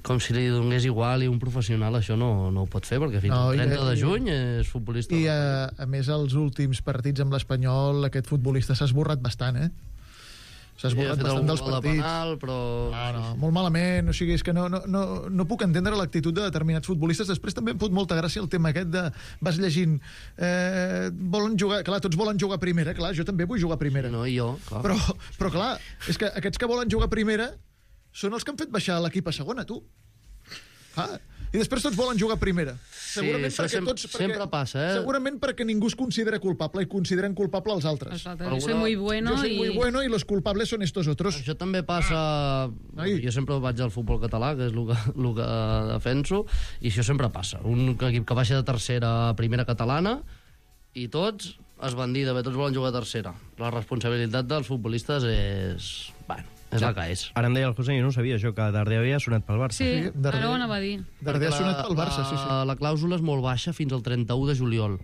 com si li donés igual, i un professional això no, no ho pot fer, perquè fins No, al i- trenta de i- juny és futbolista. I, a, a més, els últims partits amb l'Espanyol, aquest futbolista s'ha esborrat bastant, eh? S'ha Sí, ha esborrat fet bastant algun dels gol de partits. penal, però... No, no, molt malament, o sigui, és que no, no, no, no puc entendre l'actitud de determinats futbolistes. Després també em fot molta gràcia el tema aquest de... Vas llegint... Eh, volen jugar... Clar, tots volen jugar a primera, clar, jo també vull jugar a primera. No, i jo, clar. Però, però clar, és que aquests que volen jugar a primera són els que han fet baixar l'equip a segona, tu. Ah, i després tots volen jugar a primera. Segurament això perquè sem- tots... Perquè, sempre passa, eh? Segurament perquè ningú es considera culpable i consideren culpable els altres. Exacte. Alguna- Soy muy bueno Yo soy i... muy bueno y los culpables son estos otros. Això també passa... Ai. Jo sempre vaig al futbol català, que és el que, el que defenso, i això sempre passa. Un equip que baixa de tercera a primera catalana i tots es van dir, bé, tots volen jugar a tercera. La responsabilitat dels futbolistes és... Bueno, és la que és. Ara em deia el José, jo no ho sabia, això, que Darder havia sonat pel Barça. Sí, Sí, darrer- ara ho anava a dir. Darder ha Perquè sonat pel Barça, sí, sí. La, la clàusula és molt baixa fins al trenta-u de juliol.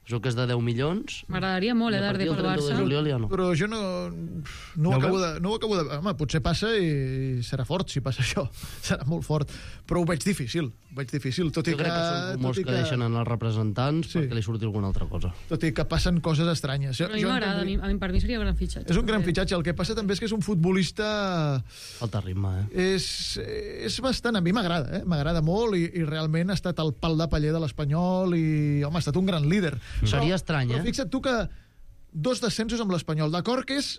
Això que és de deu milions. M'agradaria molt, eh, I a Darder partir del pel trenta-u de Barça. juliol ja no. Però jo no, no, No ho ho acabo veus? de, no ho acabo de... Home, potser passa i serà fort si passa això. Serà molt fort. Però ho veig difícil. Ho veig difícil, tot i Jo que... crec que són rumors tot i que deixen en els representants Sí. perquè li surti alguna altra cosa. Tot i que passen coses estranyes. Jo, Però a mi jo m'agrada, a entenc- mi, a mi, per mi seria un gran fitxatge. És un gran també. fitxatge. El que passa també és que és un futbolista... Falta ritme, eh? És, és bastant... A mi m'agrada, eh? M'agrada molt i, i realment ha estat el pal de paller de l'Espanyol i, home, ha estat un gran líder. Seria estrany, Però eh? fixa't tu que dos descensos amb l'Espanyol. D'acord que és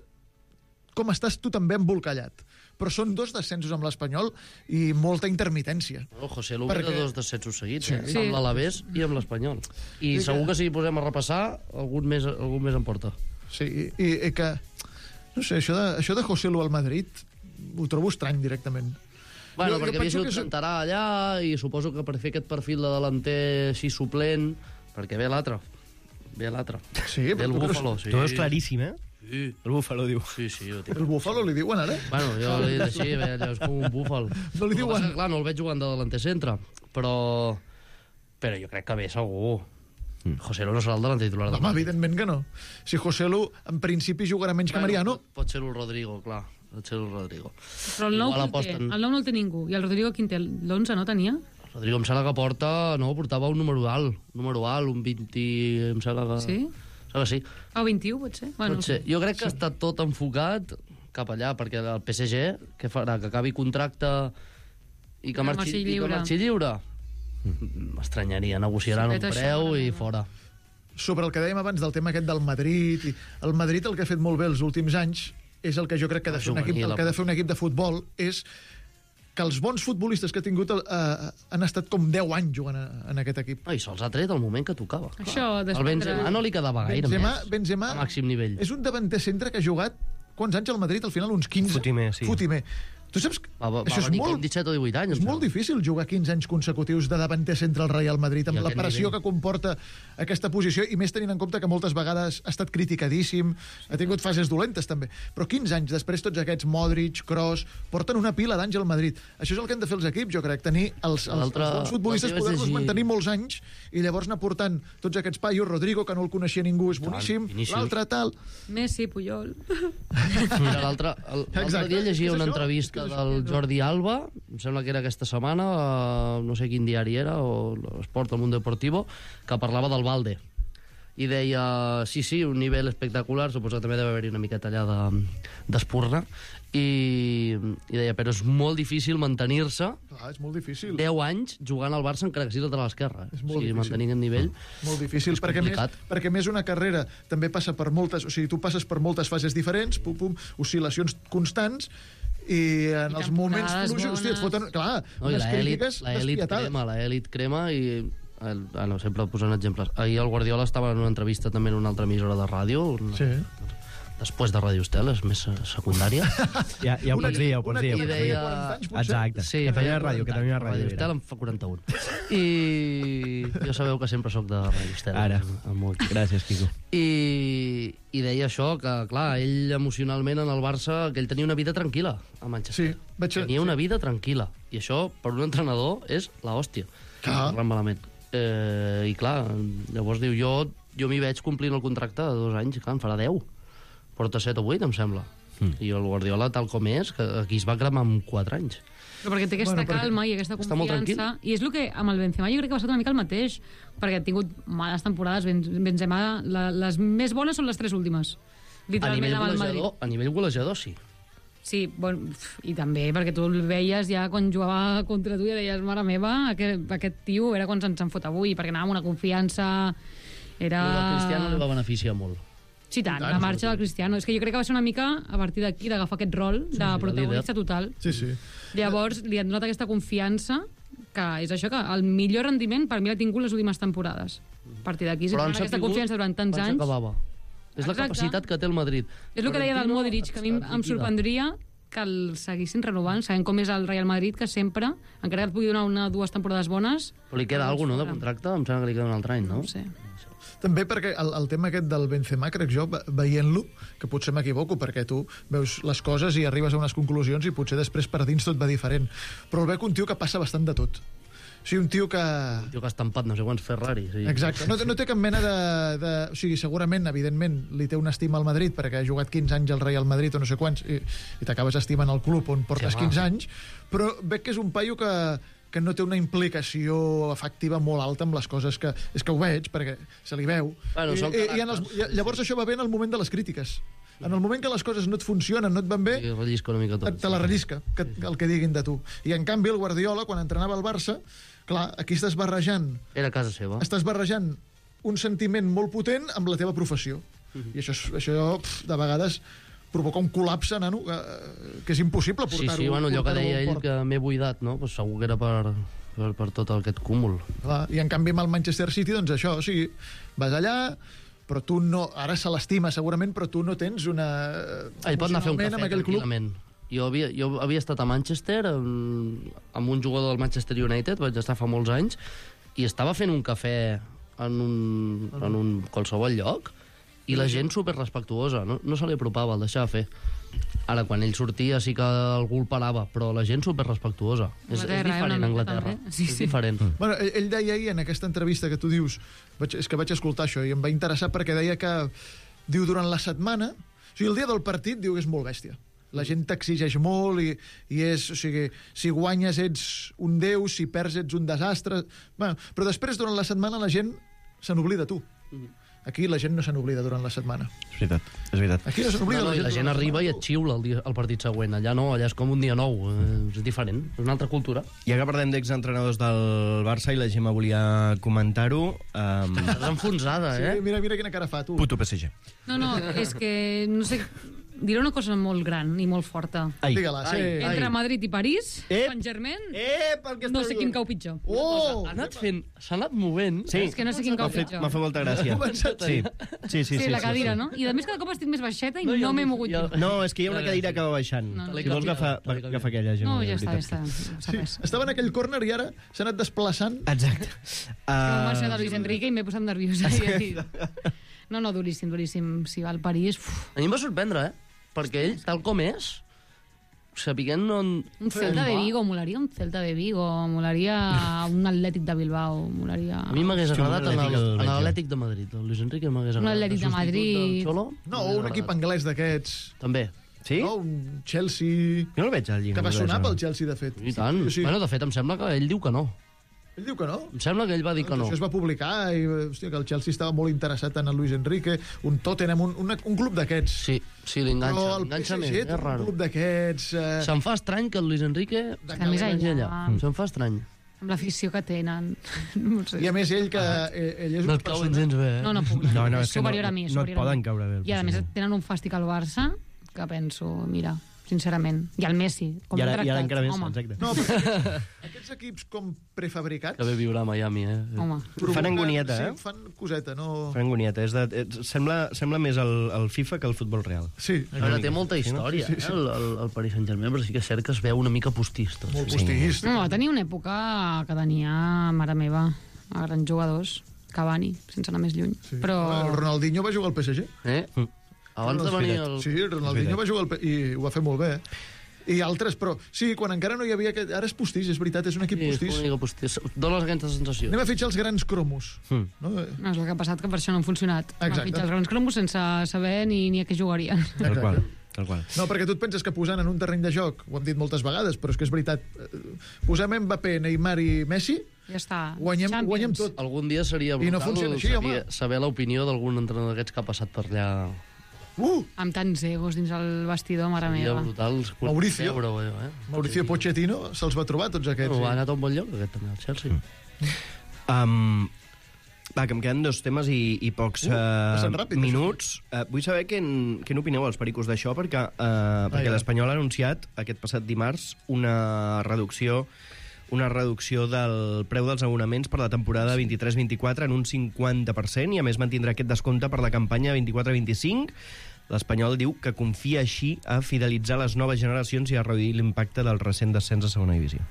com estàs tu també embolcallat. Però són dos descensos amb l'Espanyol i molta intermitència. El José Lu ve de Perquè- dos descensos seguits, Sí. eh? Sí. Amb l'Alavés i amb l'Espanyol. I Sí que- segur que si hi posem a repassar, algun més, algun més en porta. Sí, i, i, i que... No sé, això de, això de José Lu al Madrid ho trobo estrany directament. Bueno, Jo- jo perquè havia penso sigut que és- cantarà allà i suposo que per fer aquest perfil de delanter així suplent, perquè ve l'altre. Ve l'altre. Sí, Ve el però tu Búfalo, creus- sí. Tu veus claríssim, eh? Sí. El Búfalo diu. Sí, sí, jo tinc. El Búfalo li diuen ara? Bueno, jo li dic així, bé, allò és com un búfal. No li El que diuen- passa que, clar, no el veig jugant de delanter centre, però... Però jo crec que ve segur. José Lu no serà el delanter titular del Home, evidentment que no. Si José Lu, en principi, jugarà menys que Mariano. Pot, pot ser el Rodrigo, clar. Pot ser el Rodrigo. Però el nou, Igual qui el té? aposten- El nou no el té ningú. I el Rodrigo quin té? L'onze no tenia? Rodrigo em sembla que porta... No, portava un número alt. Un número alt, un vint... Em sembla que... Sí? Em sembla que sí. Ah, o vint-i-u, pot ser? Bueno, Pot ser. Jo crec que està tot enfocat cap allà, perquè el P S G, què farà? Que acabi contracte i que Que marxi, marxi i que lliure. marxi lliure? M'estranyaria, negociaran Sí, un fet preu això, i no. fora. Sobre el que dèiem abans del tema aquest del Madrid, i el Madrid el que ha fet molt bé els últims anys és el que jo crec que ha de fer un equip, el que ha de fer un equip de futbol és que els bons futbolistes que ha tingut eh, han estat com deu anys jugant a, en aquest equip. No, i se'ls ha tret al moment que tocava. Això, El desprendre... Benzema no li quedava gaire Benzema, més. Benzema A màxim nivell. és un davanter centre que ha jugat quants anys al Madrid? Al final uns quinze? Fotimer, sí. Fotimer. Tu saps que Va, va, això va és venir molt, com disset o divuit anys. és molt difícil jugar quinze anys consecutius de davanter centre al Real Madrid amb I la aquest pressió nivell. que comporta aquesta posició i més tenint en compte que moltes vegades ha estat criticadíssim, ha tingut fases dolentes també, però quinze anys després tots aquests Modric, Kroos, porten una pila d'anys al Madrid. Això és el que han de fer els equips, jo crec, tenir els, els, els L'altre- bons futbolistes, l'altre vaig poder-los llegir- mantenir molts anys i llavors anar portant tots aquests paios, Rodrigo, que no el coneixia ningú, és boníssim, Vinícius. l'altre tal... Messi, Puyol... Mira, l'altre el- l'altre Exacte, dia llegia és una això, entrevista és que és això. del Jordi Alba, em sembla que era aquesta setmana, a no sé quin diari era, o l'Esport, el Mundo Deportivo, que parlava del Valde. I deia, sí, sí, un nivell espectacular, suposo que també deve haver-hi una miqueta allà de- d'espurna, i, i deia, però és molt difícil mantenir-se Ah, és molt difícil. deu anys jugant al Barça encara que sigui lateral esquerra. És O molt sigui, difícil. mantenint el nivell. Molt difícil, És perquè més, complicat. perquè més una carrera també passa per moltes... O sigui, tu passes per moltes fases diferents, pum, pum, oscil·lacions constants, i en I els moments temporades fluixos, hòstia, et bones. foten, clar, No, i unes l'elit crítiques l'elit despietades. crema, l'elit crema i... El, ah, no, sempre posant exemples. Ahir el Guardiola estava en una entrevista també en una altra emissora de ràdio, una, Sí. després de Ràdio Estel, és més eh, secundària. Ja, ja ho Una- pots dir, ja ho pots una dir. que I feia deia- quaranta anys, potser. Exacte. Sí, Catalunya feia Ràdio, quaranta Catalunya anys. Ràdio. Ràdio Estel era. em fa quaranta-un. I jo sabeu que sempre sóc de Ràdio Estel. Ara. El meu equip. Gràcies, Quico. I, I deia això, que clar, ell emocionalment en el Barça, que ell tenia una vida tranquil·la a Manchester. Sí, vaig... Tenia una vida tranquil·la. I això, per un entrenador, és la hòstia. Clar. Parlant malament. Eh, I clar, llavors diu, jo, jo m'hi veig complint el contracte de dos anys, i clar, en farà deu. Porta set o vuit, em sembla. Mm. I el Guardiola, tal com és, que aquí es va cremar amb quatre anys. Però perquè té aquesta Bueno, bueno, perquè calma i aquesta està molt confiança. I és el que amb el Benzema jo crec que ha passat una mica el mateix, perquè ha tingut males temporades. Ben- Benzema, la, les més bones són les tres últimes. A Literalment nivell, amb el Madrid. golejador, a nivell golejador, sí. Sí, bon, pf, i també perquè tu el veies ja quan jugava contra tu i deies, mare meva, aquest, aquest tio era quan se'ns en fot avui, perquè anava amb una confiança... Era... Però el Cristiano li va beneficiar molt. Sí, tant, la marxa del Cristiano. És que jo crec que va ser una mica a partir d'aquí d'agafar aquest rol de sí, protagonista líder. total. Sí, sí. Llavors li han donat aquesta confiança que és això, que el millor rendiment per mi l'ha tingut les últimes temporades. A partir d'aquí, si Però tenen han aquesta sabut confiança durant tants quan anys... s'acabava. És la Exacte. capacitat que té el Madrid. És el que deia del Florentino Modric, que a mi em- et em liquida. sorprendria que el seguissin renovant, sabent com és el Real Madrid, que sempre, encara que et pugui donar una dues temporades bones... Però li queda alguna cosa, no, de contracte? Em sembla que li queda un altre any, no? No ho sé. També perquè el, el tema aquest del Benzema, crec jo, ve- veient-lo, que potser m'equivoco, perquè tu veus les coses i arribes a unes conclusions i potser després per dins tot va diferent. Però el veig un tio que passa bastant de tot. O sigui, un tio que... Un tio que ha estampat no sé quants Ferraris. Sí. Exacte, no, té- no té cap mena de, de... O sigui, segurament, evidentment, li té una estima al Madrid perquè ha jugat quinze anys al Real Madrid o no sé quants i, i t'acabes estimant el club on portes Sí, home. quinze anys, però veig que és un paio que, que no té una implicació afectiva molt alta amb les coses que... És que ho veig, perquè se li veu. Bueno, I, són i, i en els, caràcters. i llavors això va bé en el moment de les crítiques. En el moment que les coses no et funcionen, no et van bé, Sí, rellisca una mica tot. te la rellisca, que, el que diguin de tu. I en canvi el Guardiola, quan entrenava el Barça, clar, aquí estàs barrejant Era casa seva. estàs barrejant un sentiment molt potent amb la teva professió. I això, és- això pf, de vegades provoca un col·lapse, nano, que, que és impossible Sí, portar-ho. sí, bueno, allò que portar-ho deia al ell, port. que m'he buidat, no? Pues segur que era per, per, per tot aquest cúmul. Clar, i en canvi amb el Manchester City, doncs això, o sigui, vas allà, però tu no... Ara se l'estima segurament, però tu no tens una... Ell pot anar a fer un emocionalment cafè amb aquell club. tranquil·lament. Jo havia, jo havia estat a Manchester amb, amb un jugador del Manchester United, vaig estar fa molts anys, i estava fent un cafè en un, en un qualsevol lloc, i la gent superrespectuosa, no, no se li apropava, el deixava fer. Ara, quan ell sortia sí que algú el parava, però la gent superrespectuosa. És, és diferent a Anglaterra. Sí, és sí. diferent. Bueno, ell, ell deia ahir en aquesta entrevista que tu dius, vaig, és que vaig escoltar això i em va interessar perquè deia que, diu, durant la setmana, o sigui, el dia del partit, diu que és molt bèstia. La gent t'exigeix molt i, i és, o sigui, si guanyes ets un déu, si perds ets un desastre. Bueno, però després, durant la setmana, la gent se n'oblida tu. Aquí la gent no se n'oblida durant la setmana. És veritat, és veritat. Aquí no se n'oblida No, no, la i gent. la gent arriba i et xiula el, dia, el partit següent. Allà no, allà és com un dia nou. Eh, és diferent, és una altra cultura. Ja que parlem d'exentrenadors del Barça i la Gemma volia comentar-ho... Um... Estàs enfonsada, eh? Sí, mira, mira quina cara fa, tu. Puto P S G. No, no, és que, no sé, diré una cosa molt gran i molt forta. Ai. Digue-la, sí. Ai. Entre Madrid i París, Ep. Saint-Germain, Eh, pel que no estàs sé quin dient. cau pitjor. Oh! Ha anat fent, s'ha anat movent. Sí. És que no sé quin M'ha cau fet, pitjor. m'ha fet molta gràcia. Ha començat Sí, sí, sí. Sí, sí, la cadira, sí, no? I a més cada cop estic més baixeta i No, no, jo- m'he mogut. jo- jo. No, és que hi ha una cadira que va baixant. No, no. Si vols agafar, agafa aquella, Gemma. No, ja de està, ja veritat. està. No passa Sí, res. estava en aquell córner i ara s'ha anat desplaçant. Exacte. Que m'ho va ser de Uh, Luis Enrique i m'he posat nerviosa. Sí. No, no, duríssim, duríssim. Si va al París... Uf, A mi em va sorprendre, eh? Perquè ell, tal com és, sapiguent on... un Celta de Vigo, molaria un Celta de Vigo, molaria un Atlètic de Bilbao, molaria... A mi m'hagués Hòstia, un agradat en Atlètic el- del en Reggio. l'Atlètic de Madrid. El Luis Enrique m'hagués Un agradat. Atlètic de El substitut Madrid. del Xolo, No, m'hagués un equip agradat. anglès d'aquests. També. Sí? No, un Chelsea... Jo no el veig al llibre. Que va sonar pel Chelsea, de fet. I tant. Sí, sí. Bueno, de fet, em sembla que ell diu que no. Ell diu que no. Em sembla que ell va dir que no. Això es va publicar i hòstia, que el Chelsea estava molt interessat en el Luis Enrique, un Tottenham, un, un, un club d'aquests. Sí, sí, l'enganxa. Però el L'enganxa P S més, G és té un raro. club d'aquests... Eh... Se'm fa estrany que el Luis Enrique Està més vagi enllà. allà. Se'm fa estrany. Amb l'afició que tenen. No ho sé. I a més ell, que ell, ell és No una et cauen persona... gens bé, eh? No, no puc. No, no, és és que no- superior a mi. no et superior a poden mi. caure bé el I a més P S G. tenen un fàstic al Barça que penso, mira, sincerament. I el Messi, com I han ara, i ara tractat. encara més, Home, exacte. No, però aquests equips com prefabricats... Que bé viure a Miami, eh? home. provoquen- angonieta, eh? Sí, fan coseta, no... Fan angonieta. És de, és, sembla, sembla més el, el FIFA que el futbol real. Sí, A veure, té molta Sí, no? història, eh, el, el, el Paris Saint-Germain, però sí que és cert que es veu una mica postista. molt Sí. postiguista. No, va tenir una època que tenia, mare meva, a grans jugadors. Cavani, sense anar més lluny. Sí. Però... El Ronaldinho va jugar al P S G. Eh? Abans de venir el... Sí, el Ronaldinho va jugar al P... i ho va fer molt bé. I altres, però sí, quan encara no hi havia... Aquest... Ara és postís, és veritat, és un equip Sí, és postís. una mica postís. Dones aquesta sensació. Anem a fitxar els grans cromos. Mm. No? No, és el que ha passat, que per això no han funcionat. Van Exacte. fitxar els grans cromos sense saber ni, ni a què jugarien. Tal qual. Tal qual. No, perquè tu et penses que posant en un terreny de joc, ho hem dit moltes vegades, però és que és veritat, eh, posem Mbappé, Neymar i Messi, Ja està. guanyem, Champions. guanyem tot. Algun dia seria I no brutal funciona així, saber, home. saber l'opinió d'algun entrenador d'aquests que ha passat per allà. Uh! Amb tants egos dins el vestidor, mare Seria meva. brutal. Mauricio. Veure, eh? Mauricio Pochettino se'ls va trobar, tots aquests. Bueno, ha sí. anat a un bon lloc, aquest també, el Chelsea. Mm. Um, va, que em queden dos temes i, i pocs Uh, uh, passen ràpid, minuts. Uh, vull saber què, en, què n'opineu els pericos d'això, perquè, uh, perquè ja. l'Espanyol ha anunciat aquest passat dimarts una reducció una reducció del preu dels abonaments per la temporada vint-i-tres vint-i-quatre en un cinquanta per cent i a més mantindrà aquest descompte per la campanya vint-i-quatre vint-i-cinc. L'Espanyol diu que confia així a fidelitzar les noves generacions i a reduir l'impacte del recent descens a segona divisió.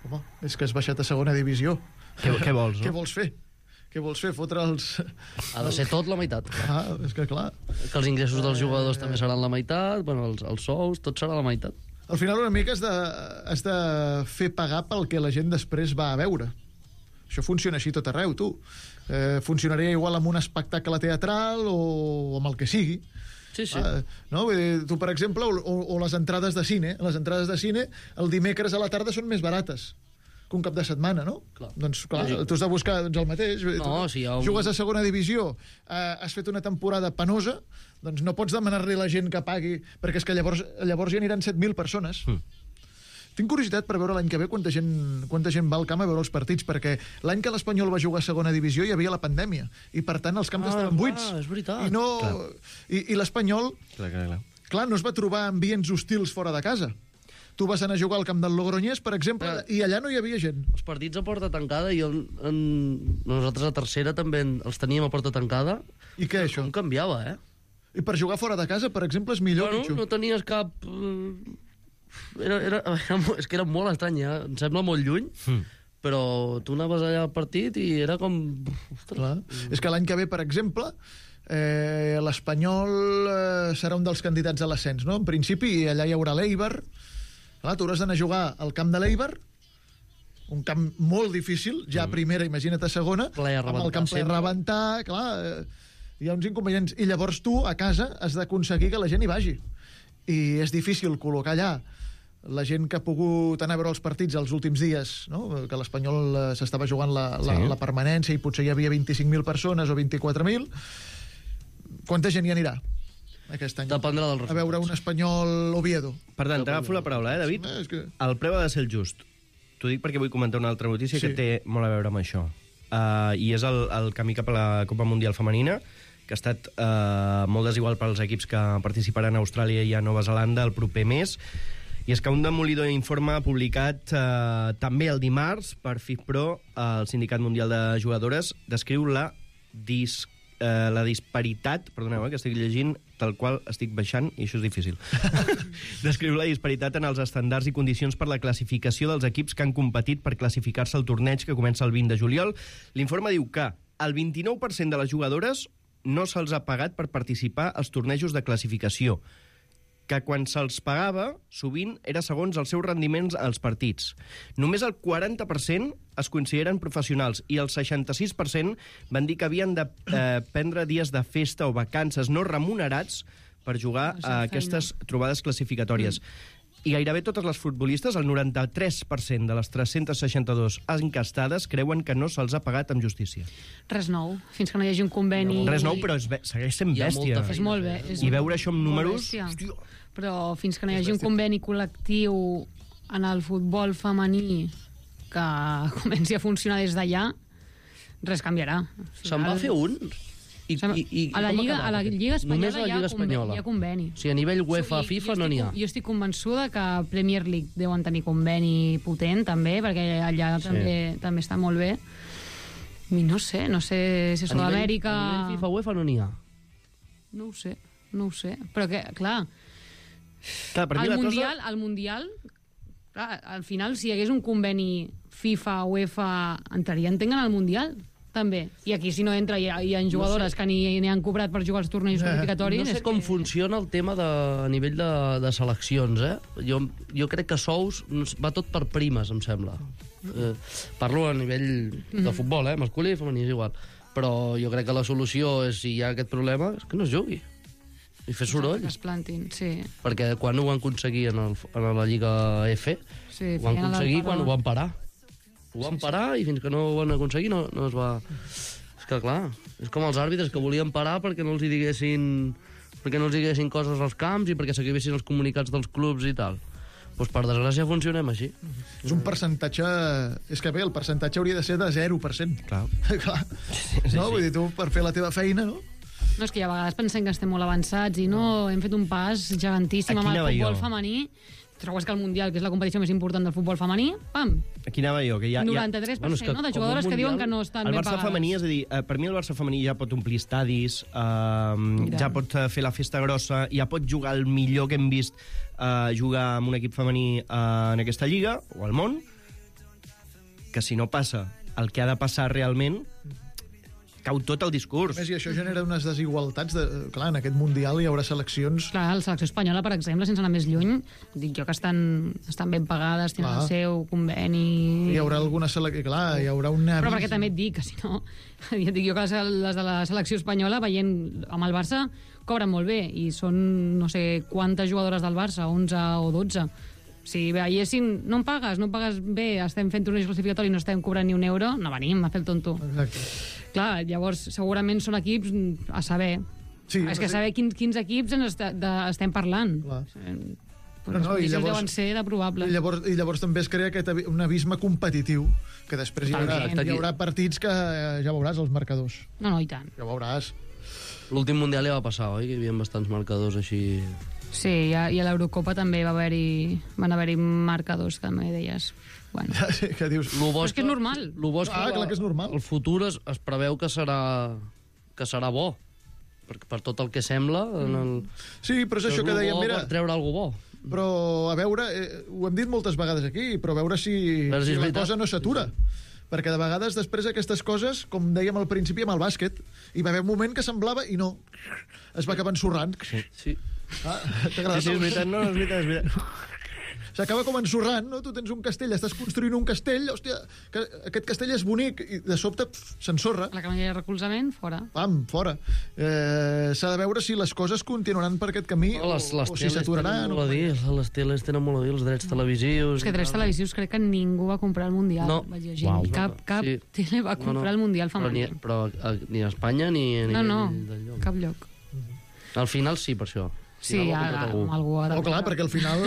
Home, és que has baixat a segona divisió. Què, què vols, Què no? vols fer? Què vols fer? Fotre els... Ha de ser tot la meitat. Ah, és que clar. Que els ingressos dels jugadors també seran la meitat, bueno, els, els sous, tot serà la meitat. Al final una mica has de, has de fer pagar pel que la gent després va a veure. Això funciona així tot arreu, tu. Eh, funcionaria igual amb un espectacle teatral o amb el que sigui. Sí, sí. Ah, no? Vull dir, tu, per exemple, o, o, o les entrades de cine. Les entrades de cine el dimecres a la tarda són més barates que un cap de setmana, no? Clar. Doncs, clar, Lògic. tu has de buscar doncs, el mateix. No, tu, si hi ha un- Jugues a segona divisió, eh, has fet una temporada penosa, doncs no pots demanar-li a la gent que pagui, perquè és que llavors, llavors hi aniran set mil persones. Mm. Tinc curiositat per veure l'any que ve quanta gent, quanta gent va al camp a veure els partits, perquè l'any que l'Espanyol va jugar a segona divisió hi havia la pandèmia, i per tant els camps Ah, estaven clar, buits. és veritat. I, no, i, i l'Espanyol, Clar, clar, clar. clar, no es va trobar ambients hostils fora de casa. Tu vas anar a jugar al camp del Logroñés, per exemple, Ah. i allà no hi havia gent. Els partits a porta tancada, i en, en... nosaltres a tercera també en- els teníem a porta tancada. I què, això? Com canviava, eh? I per jugar fora de casa, per exemple, és millor, Bueno, Pichu. no tenies cap... eh, Era, era, era, mo- és que era molt estrany, eh? Em sembla molt lluny, Mm. però tu anaves allà al partit i era com... Ostres. Clar. És que l'any que ve, per exemple, eh, l'Espanyol eh, serà un dels candidats a l'ascens, no? En principi, allà hi haurà l'Eibar. Clar, tu hauràs d'anar a jugar al camp de l'Eibar, un camp molt difícil, ja a primera, imagina't a segona, Ple a amb el rebentar camp ple a sempre. rebentar, clar, eh, hi ha uns inconvenients. I llavors tu, a casa, has d'aconseguir que la gent hi vagi. I és difícil col·locar allà la gent que ha pogut anar a veure els partits els últims dies, no? Que l'Espanyol eh, s'estava jugant la, la, Sí. la permanència i potser hi havia vint-i-cinc mil persones o vint-i-quatre mil. Quanta gent hi anirà aquest any? Dependrà dels A resultats. veure un Espanyol Oviedo. Per tant, t'agafo la paraula, eh, David? Eh, és que... El preu ha de ser el just. T'ho dic perquè vull comentar una altra notícia Sí. que té molt a veure amb això. Uh, I és el, el camí cap a la Copa Mundial Femenina, que ha estat uh, molt desigual per als equips que participaran a Austràlia i a Nova Zelanda el proper mes. I és que un demolidor informe publicat uh, també el dimarts per FIFPro, el Sindicat Mundial de Jugadores, descriu la, dis, uh, la disparitat, perdoneu, eh, que estic llegint tal qual estic baixant, i això és difícil. Descriu la disparitat en els estàndards i condicions per la classificació dels equips que han competit per classificar-se al torneig que comença el vint de juliol. L'informe diu que el vint-i-nou per cent de les jugadores no se'ls ha pagat per participar als tornejos de classificació, que quan se'ls pagava, sovint era segons els seus rendiments als partits. Només el quaranta per cent es consideren professionals i el seixanta-sis per cent van dir que havien de eh, prendre dies de festa o vacances no remunerats per jugar a aquestes trobades classificatòries. I gairebé totes les futbolistes, el noranta-tres per cent de les tres-cents seixanta-dues encastades, creuen que no se'ls ha pagat amb justícia. Res nou, fins que no hi hagi un conveni... Res nou, però és, be- segueix sent Hi ha bèstia. molta És molt bé. És I veure això amb molt números... bèstia. Hòstia. Però fins que no hi hagi un conveni col·lectiu en el futbol femení que comenci a funcionar des d'allà, res canviarà. O sigui, Se'n va el- fer un? I, Se'n- i, i a la com ha Lliga, acabat a la aquest? Lliga Espanyola, Només a la hi, ha Lliga conveni, Espanyola. hi ha conveni. O sigui, a nivell UEFA, I- FIFA, jo no n'hi ha. estic- Jo estic convençuda que Premier League deuen tenir conveni potent, també, perquè allà Sí. també, també està molt bé. I no sé, no sé si a A nivell- Sud-amèrica... A nivell FIFA, UEFA no n'hi ha. No ho sé, no ho sé. Però que, clar, Clar, per mi el la Mundial, cosa... el Mundial, clar, al final, si hi hagués un conveni FIFA, UEFA, entraria, entenc, en el Mundial, també. I aquí, si no entra, hi ha, hi ha jugadores que ni, ni han cobrat per jugar als tornejos qualificatoris. No sé és com que... funciona el tema de, a nivell de, de seleccions, eh? Jo, jo crec que sous no sé, va tot per primes, em sembla. Eh, parlo a nivell de futbol, eh? Masculí i femení, és igual. Però jo crec que la solució és, si hi ha aquest problema, és que no es jugui. I fer soroll. Que es plantin, sí. Perquè quan ho van aconseguir en, el, en la Lliga F, sí ho van feien el aconseguir paró. quan ho van parar. Ho van parar i fins que no ho van aconseguir no, no es va... És que, clar, és com els àrbitres que volien parar perquè no els hi diguessin, perquè no els diguessin coses als camps i perquè s'acabessin els comunicats dels clubs i tal. Doncs per desgràcia funcionem així. És un percentatge... És que bé, el percentatge hauria de ser de zero per cent. Clar. Clar. No? Vull dir, tu, per fer la teva feina, no? No, és que a vegades pensem que estem molt avançats i no, hem fet un pas gegantíssim Aquí amb el anava futbol jo. femení. Trobes que el Mundial, que és la competició més important del futbol femení, pam, Aquí anava jo, que hi ha... hi ha... noranta-tres per cent Bueno, és que no, de com un jugadores que diuen que no estan El ben Barça pagades. femení, és a dir, eh, per mi el Barça femení ja pot omplir estadis, eh, ja pot eh, fer la festa grossa, ja pot jugar el millor que hem vist eh, jugar amb un equip femení eh, en aquesta lliga, o al món, que si no passa el que ha de passar realment, cau tot el discurs. A més, i això genera unes desigualtats. De, clar, en aquest Mundial hi haurà seleccions... Clar, la selecció espanyola, per exemple, sense anar més lluny, dic jo que estan, estan ben pagades, tenen Clar. el seu conveni... Hi haurà alguna selecció... Clar, hi haurà una... Però perquè també et dic que si no... Ja et dic jo que les, les de la selecció espanyola, veient amb el Barça, cobren molt bé, i són no sé quantes jugadores del Barça, onze o dotze. Si veiessin, no em pagues, no em pagues bé, estem fent tornejos classificatoris, no estem cobrant ni un euro, no venim a fer el tonto. Exacte. Clar, llavors segurament són equips a saber. Sí, És que sí. saber quins, quins equips ens est de, estem parlant. Clar. Eh, No, les no, i condicions llavors- deuen ser de probable. I llavors, I llavors també es crea aquest abi- un abisme competitiu, que després hi haurà, Exacte. hi haurà partits que eh, ja veuràs, els marcadors. No, no, i tant. Ja veuràs. L'últim Mundial ja va passar, oi? Que hi havia bastants marcadors així... Sí, i a, i a l'Eurocopa també va haver-hi van haver-hi marcadors que també deies. Bueno. Sí, que dius... Lo bo Però és que és normal. Lo bo és Ah, la- clar que és normal. El futur es, es preveu que serà, que serà bo. per, per tot el que sembla... En el... Sí, però és això que dèiem, mira... Per treure algú bo. Però, a veure, eh, ho hem dit moltes vegades aquí, però a veure si, Però si si és la veritat. cosa no s'atura. Perquè de vegades després aquestes coses, com dèiem al principi amb el bàsquet, hi va haver un moment que semblava i no, es va acabar ensorrant. Sí. sí. Ah, t'agrada? Sí, sí, és veritat, no, és veritat, és veritat. S'acaba com ensorrant, no? Tu tens un castell, estàs construint un castell, hòstia, que aquest castell és bonic, i de sobte pf, s'ensorra. La que no hi ha recolzament, fora. Pam, fora. Eh, S'ha de veure si les coses continuaran per aquest camí No, les, les o, o si s'aturaran. tenen molt a dir, les teles tenen molt a dir, els drets televisius... És que drets televisius crec que ningú va comprar el Mundial. No. Vaig llegir. Uau. Cap, cap Sí. tele va comprar No, no. el Mundial Però ni, femení. però a, ni a Espanya ni a No, no, nivell d'enlloc. cap lloc. Al final sí, per això. Sí, Al final ho ja, compra algú. algú ha de Oh, clar, perquè al final...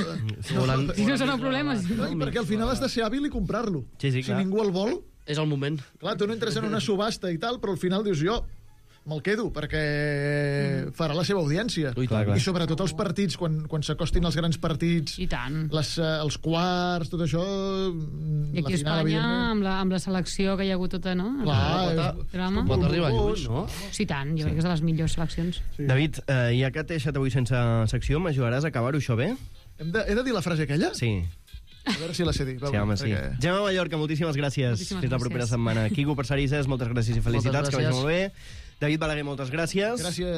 Si volen... Si no són problemes. No, i perquè al final has de ser hàbil i comprar-lo. Sí, sí, Si clar. ningú el vol, És el moment. clar, tu no entres en una subhasta i tal, però al final dius jo me'l quedo, perquè farà la seva audiència. Ui, clar, clar. I sobretot els partits, quan, quan s'acostin els grans partits, I tant. les, eh, els quarts, tot això... I aquí a Espanya, amb la, amb la selecció que hi ha hagut tota, no? Clar, El és- drama. Pot arribar lluny, no? Sí, tant, jo crec que és de les millors seleccions. Sí. David, eh, ja que t'he deixat avui sense secció, m'ajudaràs a acabar-ho això bé? Hem de, he de dir la frase aquella? Sí. A veure si la sé dir. Va, Sí, home, sí. perquè- Gemma Mallorca, moltíssimes gràcies. Moltíssimes Fins la gràcies. propera setmana. Quico Parcerisses, moltes gràcies i felicitats, Moltes que vagi gràcies. molt bé. David Balaguer, moltes gràcies. Gràcies.